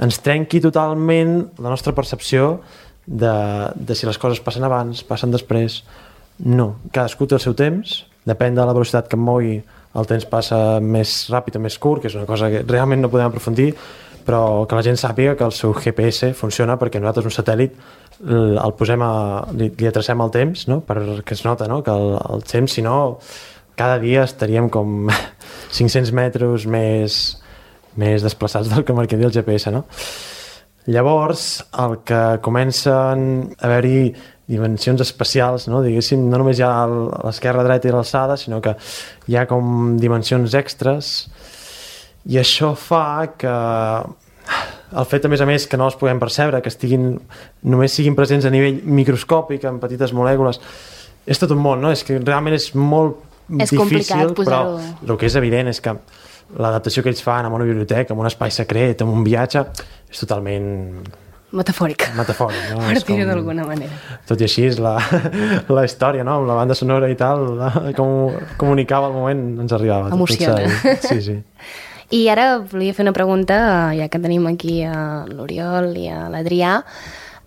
ens trenqui totalment la nostra percepció de si les coses passen abans, passen després. No, cadascú té el seu temps, depèn de la velocitat que em mogui, el temps passa més ràpid o més curt, que és una cosa que realment no podem aprofundir, però que la gent sàpiga que el seu GPS funciona perquè nosaltres un satèl·lit el posem li atrecem el temps, no? Perquè es nota, no? Que el temps, si no, cada dia estaríem com 500 metres més desplaçats del que marcaria el GPS, no? Llavors, el que comencen a haver-hi dimensions especials, no? Diguéssim, no només hi ha l'esquerra, dreta i l'alçada, sinó que hi ha com dimensions extres, i això fa que el fet, a més, que no les puguem percebre, que només siguin presents a nivell microscòpic, en petites molècules, és tot un món, no? És que realment és molt És difícil, complicat posar-ho. però el que és evident és que l'adaptació que ells fan amb una biblioteca, amb un espai secret, amb un viatge, és totalment Metafòric. metafòric, no? Per És com- dir-ho d'alguna manera. Tot i així, la història, no? Amb la banda sonora i tal, com comunicava al moment, ens arribava. Emociona. Sí, sí. I ara volia fer una pregunta, ja que tenim aquí a l'Oriol i a l'Adrià,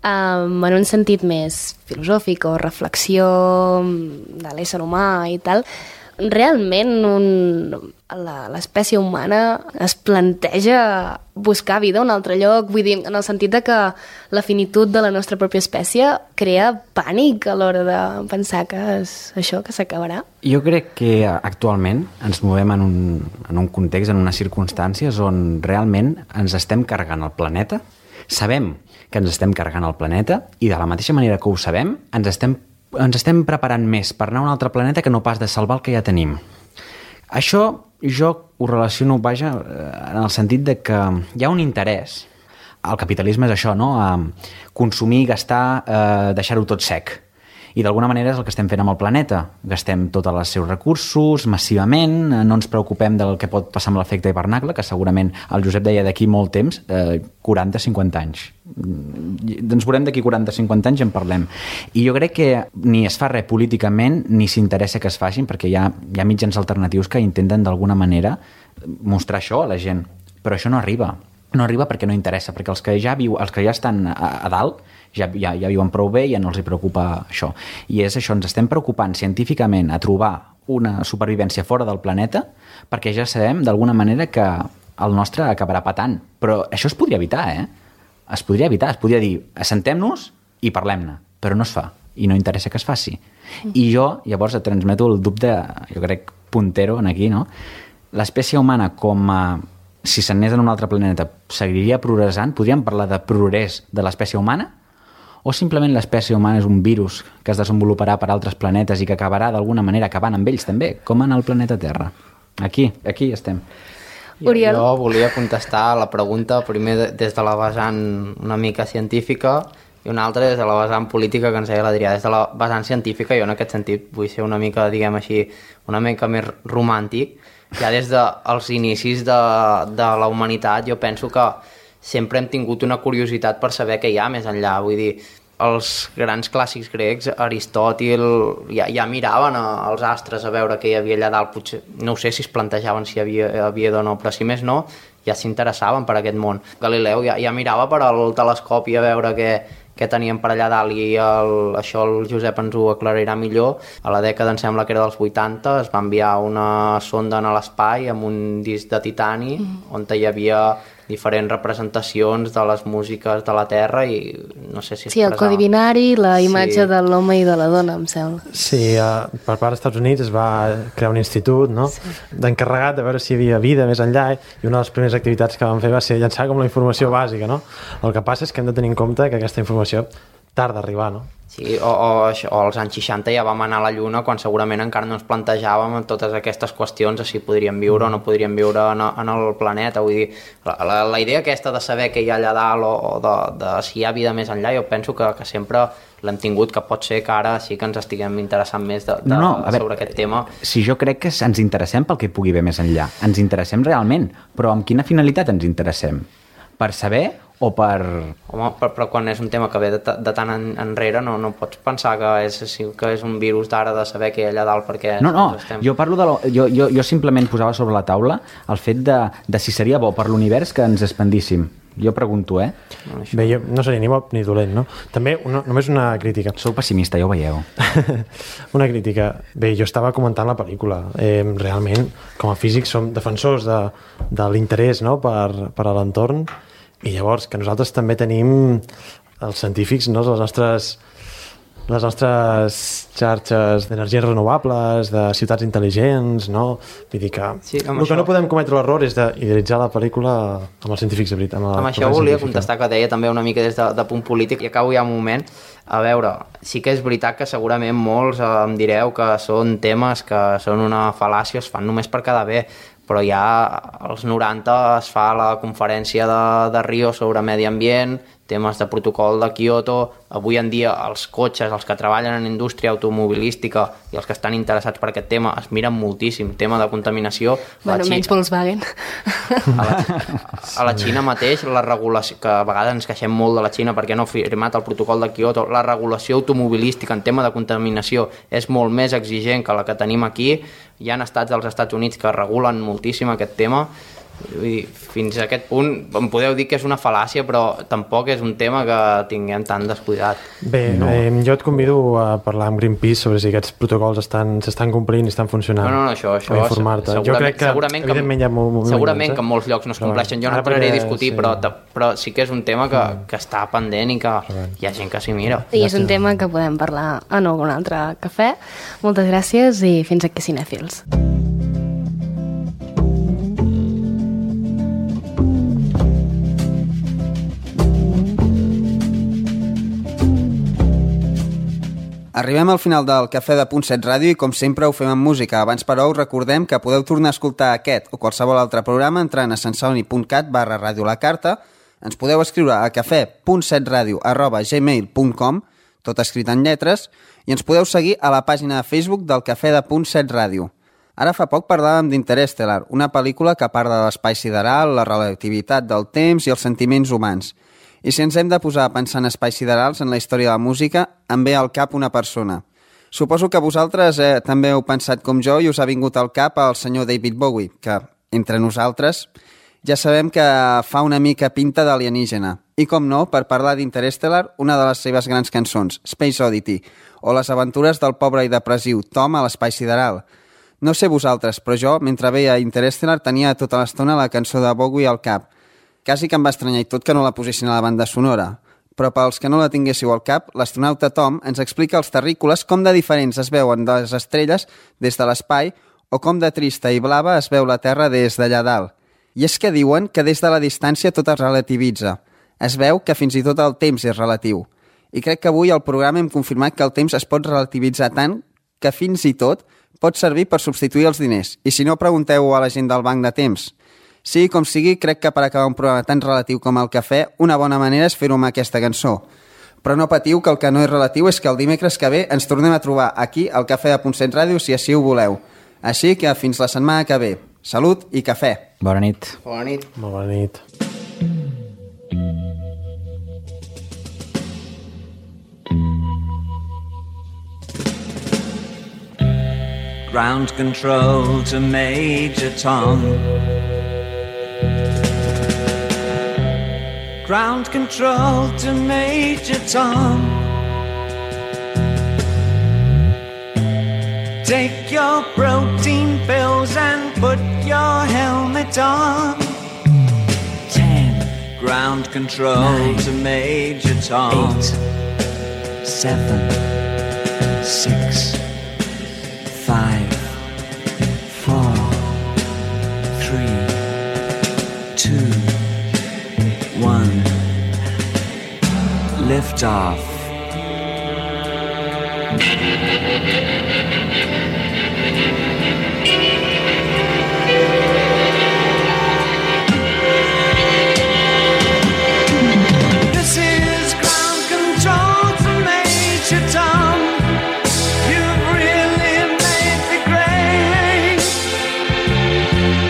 en un sentit més filosòfic o reflexió de l'ésser humà i tal. Realment l'espècie humana es planteja buscar vida a un altre lloc? Vull dir, en el sentit de que la finitud de la nostra pròpia espècie crea pànic a l'hora de pensar que és això, que s'acabarà? Jo crec que actualment ens movem en un context, en unes circumstàncies on realment ens estem carregant el planeta, sabem que ens estem carregant el planeta i de la mateixa manera que ho sabem ens estem preparant més per anar a un altre planeta que no pas de salvar el que ja tenim. Això jo ho relaciono, vaja, en el sentit de que hi ha un interès. El capitalisme és això, no? Consumir, gastar, deixar-ho tot sec. I d'alguna manera és el que estem fent amb el planeta. Gastem tots els seus recursos massivament, no ens preocupem del que pot passar amb l'efecte hivernacle, que segurament el Josep deia d'aquí molt temps, 40-50 anys. Ens veurem d'aquí 40-50 anys i en parlem. I jo crec que ni es fa res políticament ni s'interessa que es facin, perquè hi ha mitjans alternatius que intenten d'alguna manera mostrar això a la gent. Però això no arriba. No arriba perquè no interessa, perquè els que ja estan a dalt ja viuen prou bé i ja no els hi preocupa això. I és això, ens estem preocupant científicament a trobar una supervivència fora del planeta perquè ja sabem d'alguna manera que el nostre acabarà patant. Però això es podria evitar, Es podria evitar, es podria dir, assentem-nos i parlem-ne, però no es fa i no interessa que es faci. I jo, llavors, et transmeto el dubte, jo crec, puntero en aquí, no? L'espècie humana com a si s'anés en un altre planeta, seguiria progressant? Podríem parlar de progrés de l'espècie humana? O simplement l'espècie humana és un virus que es desenvoluparà per altres planetes i que acabarà d'alguna manera acabant amb ells també, com en el planeta Terra? Aquí estem. Oriol? Jo volia contestar la pregunta primer des de la vessant una mica científica i una altra des de la vessant política que ens deia l'Adrià. Des de la vessant científica jo en aquest sentit vull ser una mica, diguem així, una mica més romàntic. Ja des dels inicis de la humanitat jo penso que sempre hem tingut una curiositat per saber què hi ha més enllà. Vull dir, els grans clàssics grecs, Aristòtil, ja miraven els astres a veure què hi havia allà dalt. Potser, no sé si es plantejaven si hi havia o no, però si més no, ja s'interessaven per aquest món. Galileu ja mirava per al telescopi a veure què tenien per allà dalt i això el Josep ens ho aclarirà millor. A la dècada, em sembla que era dels 80, es va enviar una sonda a l'espai amb un disc de titani on hi havia diferents representacions de les músiques de la Terra i no sé si Sí, el codi binari, la imatge de l'home i de la dona, em sembla. Sí, per part dels Estats Units es va crear un institut, no? D'encarregat de veure si hi havia vida més enllà, i una de les primeres activitats que van fer va ser llançar com la informació bàsica, no? El que passa és que hem de tenir en compte que aquesta informació tarda a arribar, no? Sí, o als anys 60 ja vam anar a la Lluna quan segurament encara no ens plantejàvem totes aquestes qüestions de si podríem viure o no podríem viure en el planeta. Vull dir, la idea aquesta de saber què hi ha allà dalt o de si hi ha vida més enllà, jo penso que sempre l'hem tingut, que pot ser que ara sí que ens estiguem interessant més sobre aquest tema. Si jo crec que ens interessem pel que hi pugui haver més enllà, ens interessem realment, però amb quina finalitat ens interessem? Per saber o per... Home, però quan és un tema que ve de tant enrere no pots pensar que és un virus d'ara de saber què hi ha allà dalt perquè... No, jo parlo de... Jo simplement posava sobre la taula el fet de si seria bo per l'univers que ens expandíssim. Jo pregunto, Bé, jo no seria ni bo ni dolent, no? També només una crítica. Sou pessimista, ja ho veieu. Una crítica. Bé, jo estava comentant la pel·lícula. Realment, com a físics som defensors de l'interès, no?, per a l'entorn, i llavors que nosaltres també tenim els científics, no?, les nostres xarxes d'energies renovables, de ciutats intel·ligents, no? Vull dir que el que no podem cometre l'error és d'idealitzar la pel·lícula amb els científics de veritat. Amb això volia contestar, que deia també una mica des de punt polític, i acabo ja un moment. A veure, sí que és veritat que segurament molts em direu que són temes que són una fal·làcia, es fan només per quedar bé, però ja als 90 es fa la conferència de Rio sobre medi ambient, temes de protocol de Kyoto. Avui en dia els cotxes, els que treballen en indústria automobilística i els que estan interessats per aquest tema es miren moltíssim, tema de contaminació. Bueno, menys Volkswagen. A la Xina mateix, la regulació, que a vegades ens queixem molt de la Xina perquè no ha firmat el protocol de Kyoto, la regulació automobilística en tema de contaminació és molt més exigent que la que tenim aquí. Hi ha estats dels Estats Units que regulen moltíssim aquest tema. Vull dir, fins a aquest punt em podeu dir que és una fal·làcia, però tampoc és un tema que tinguem tan descuidat. Bé, jo et convido a parlar amb Greenpeace sobre si aquests protocols s'estan complint i estan funcionant. No, això informar-te. Jo crec que evidentment hi ha segurament que en molts llocs no es compleixen. Jo no entraré a discutir, però sí que és un tema que està pendent i que hi ha gent que s'hi mira. I és un tema que podem parlar en algun altre cafè. Moltes gràcies i fins aquí, cinèfils. Arribem al final del Cafè de Punt 7 Ràdio i com sempre ho fem amb música. Abans però us recordem que podeu tornar a escoltar aquest o qualsevol altre programa entrant a santceloni.cat/radiolacarta. Ens podeu escriure a cafè.setradio@gmail.com, tot escrit en lletres, i ens podeu seguir a la pàgina de Facebook del Cafè de Punt 7 Ràdio. Ara fa poc parlàvem d'Interstellar, una pel·lícula que parla de l'espai sideral, la relativitat del temps i els sentiments humans. I si ens hem de posar a pensar en espais siderals en la història de la música, em ve al cap una persona. Suposo que vosaltres també heu pensat com jo i us ha vingut al cap el senyor David Bowie, que, entre nosaltres, ja sabem que fa una mica pinta d'alienígena. I com no, per parlar d'Interstellar, una de les seves grans cançons, Space Oddity, o les aventures del pobre i depressiu Tom a l'espai sideral. No sé vosaltres, però jo, mentre veia Interstellar, tenia tota l'estona la cançó de Bowie al cap. Quasi que em va estranyar i tot que no la posessin a la banda sonora. Però pels que no la tinguéssiu al cap, l'astronauta Tom ens explica als terrícoles com de diferents es veuen les estrelles des de l'espai o com de trista i blava es veu la Terra des d'allà dalt. I és que diuen que des de la distància tot es relativitza. Es veu que fins i tot el temps és relatiu. I crec que avui al programa hem confirmat que el temps es pot relativitzar tant que fins i tot pot servir per substituir els diners. I si no, pregunteu a la gent del banc de temps. Sí, com sigui, crec que per acabar un programa tan relatiu com el cafè, una bona manera és fer-ho amb aquesta cançó. Però no patiu, que el que no és relatiu és que el dimecres que ve ens tornem a trobar aquí al Cafè de Punt 7 Ràdio, si així ho voleu. Així que fins la setmana que ve. Salut i cafè. Bona nit. Bona nit. Molt bona nit. Ground control to Major Tom. Ground control to Major Tom. Take your protein pills and put your helmet on. 10. Ground control 9, to Major Tom. 8, 7, 6, 5, 4, 3, 2, 1. Lift off. This is ground control to Major Tom. You've really made the grade,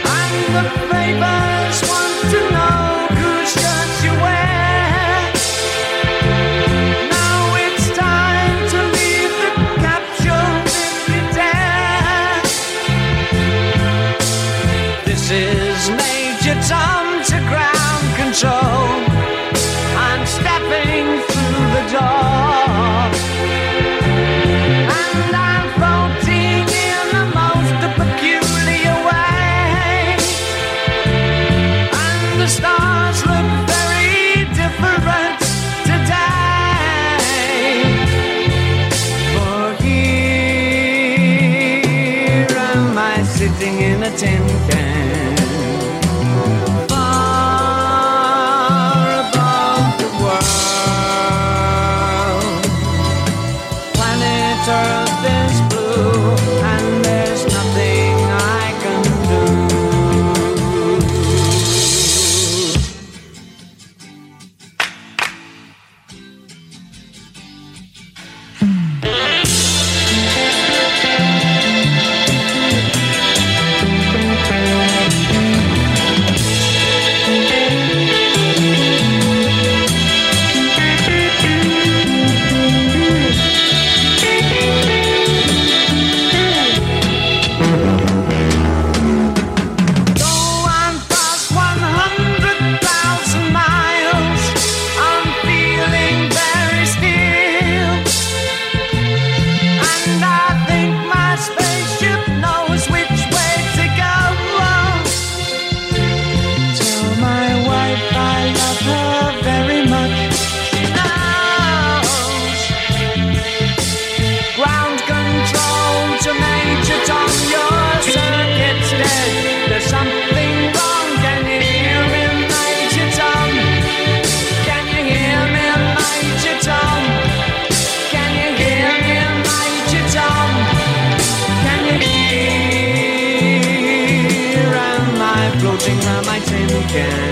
and the papers want to know whose shirt you wear. Now it's time to leave the capsule if you dare. This is Major Tom to ground control. I'm stepping through the door, and I'm floating in the most peculiar way, and the stars look very different today. For here am I sitting in a tin can, far above the world. Planet Earth is blue, and there's nothing I can do. can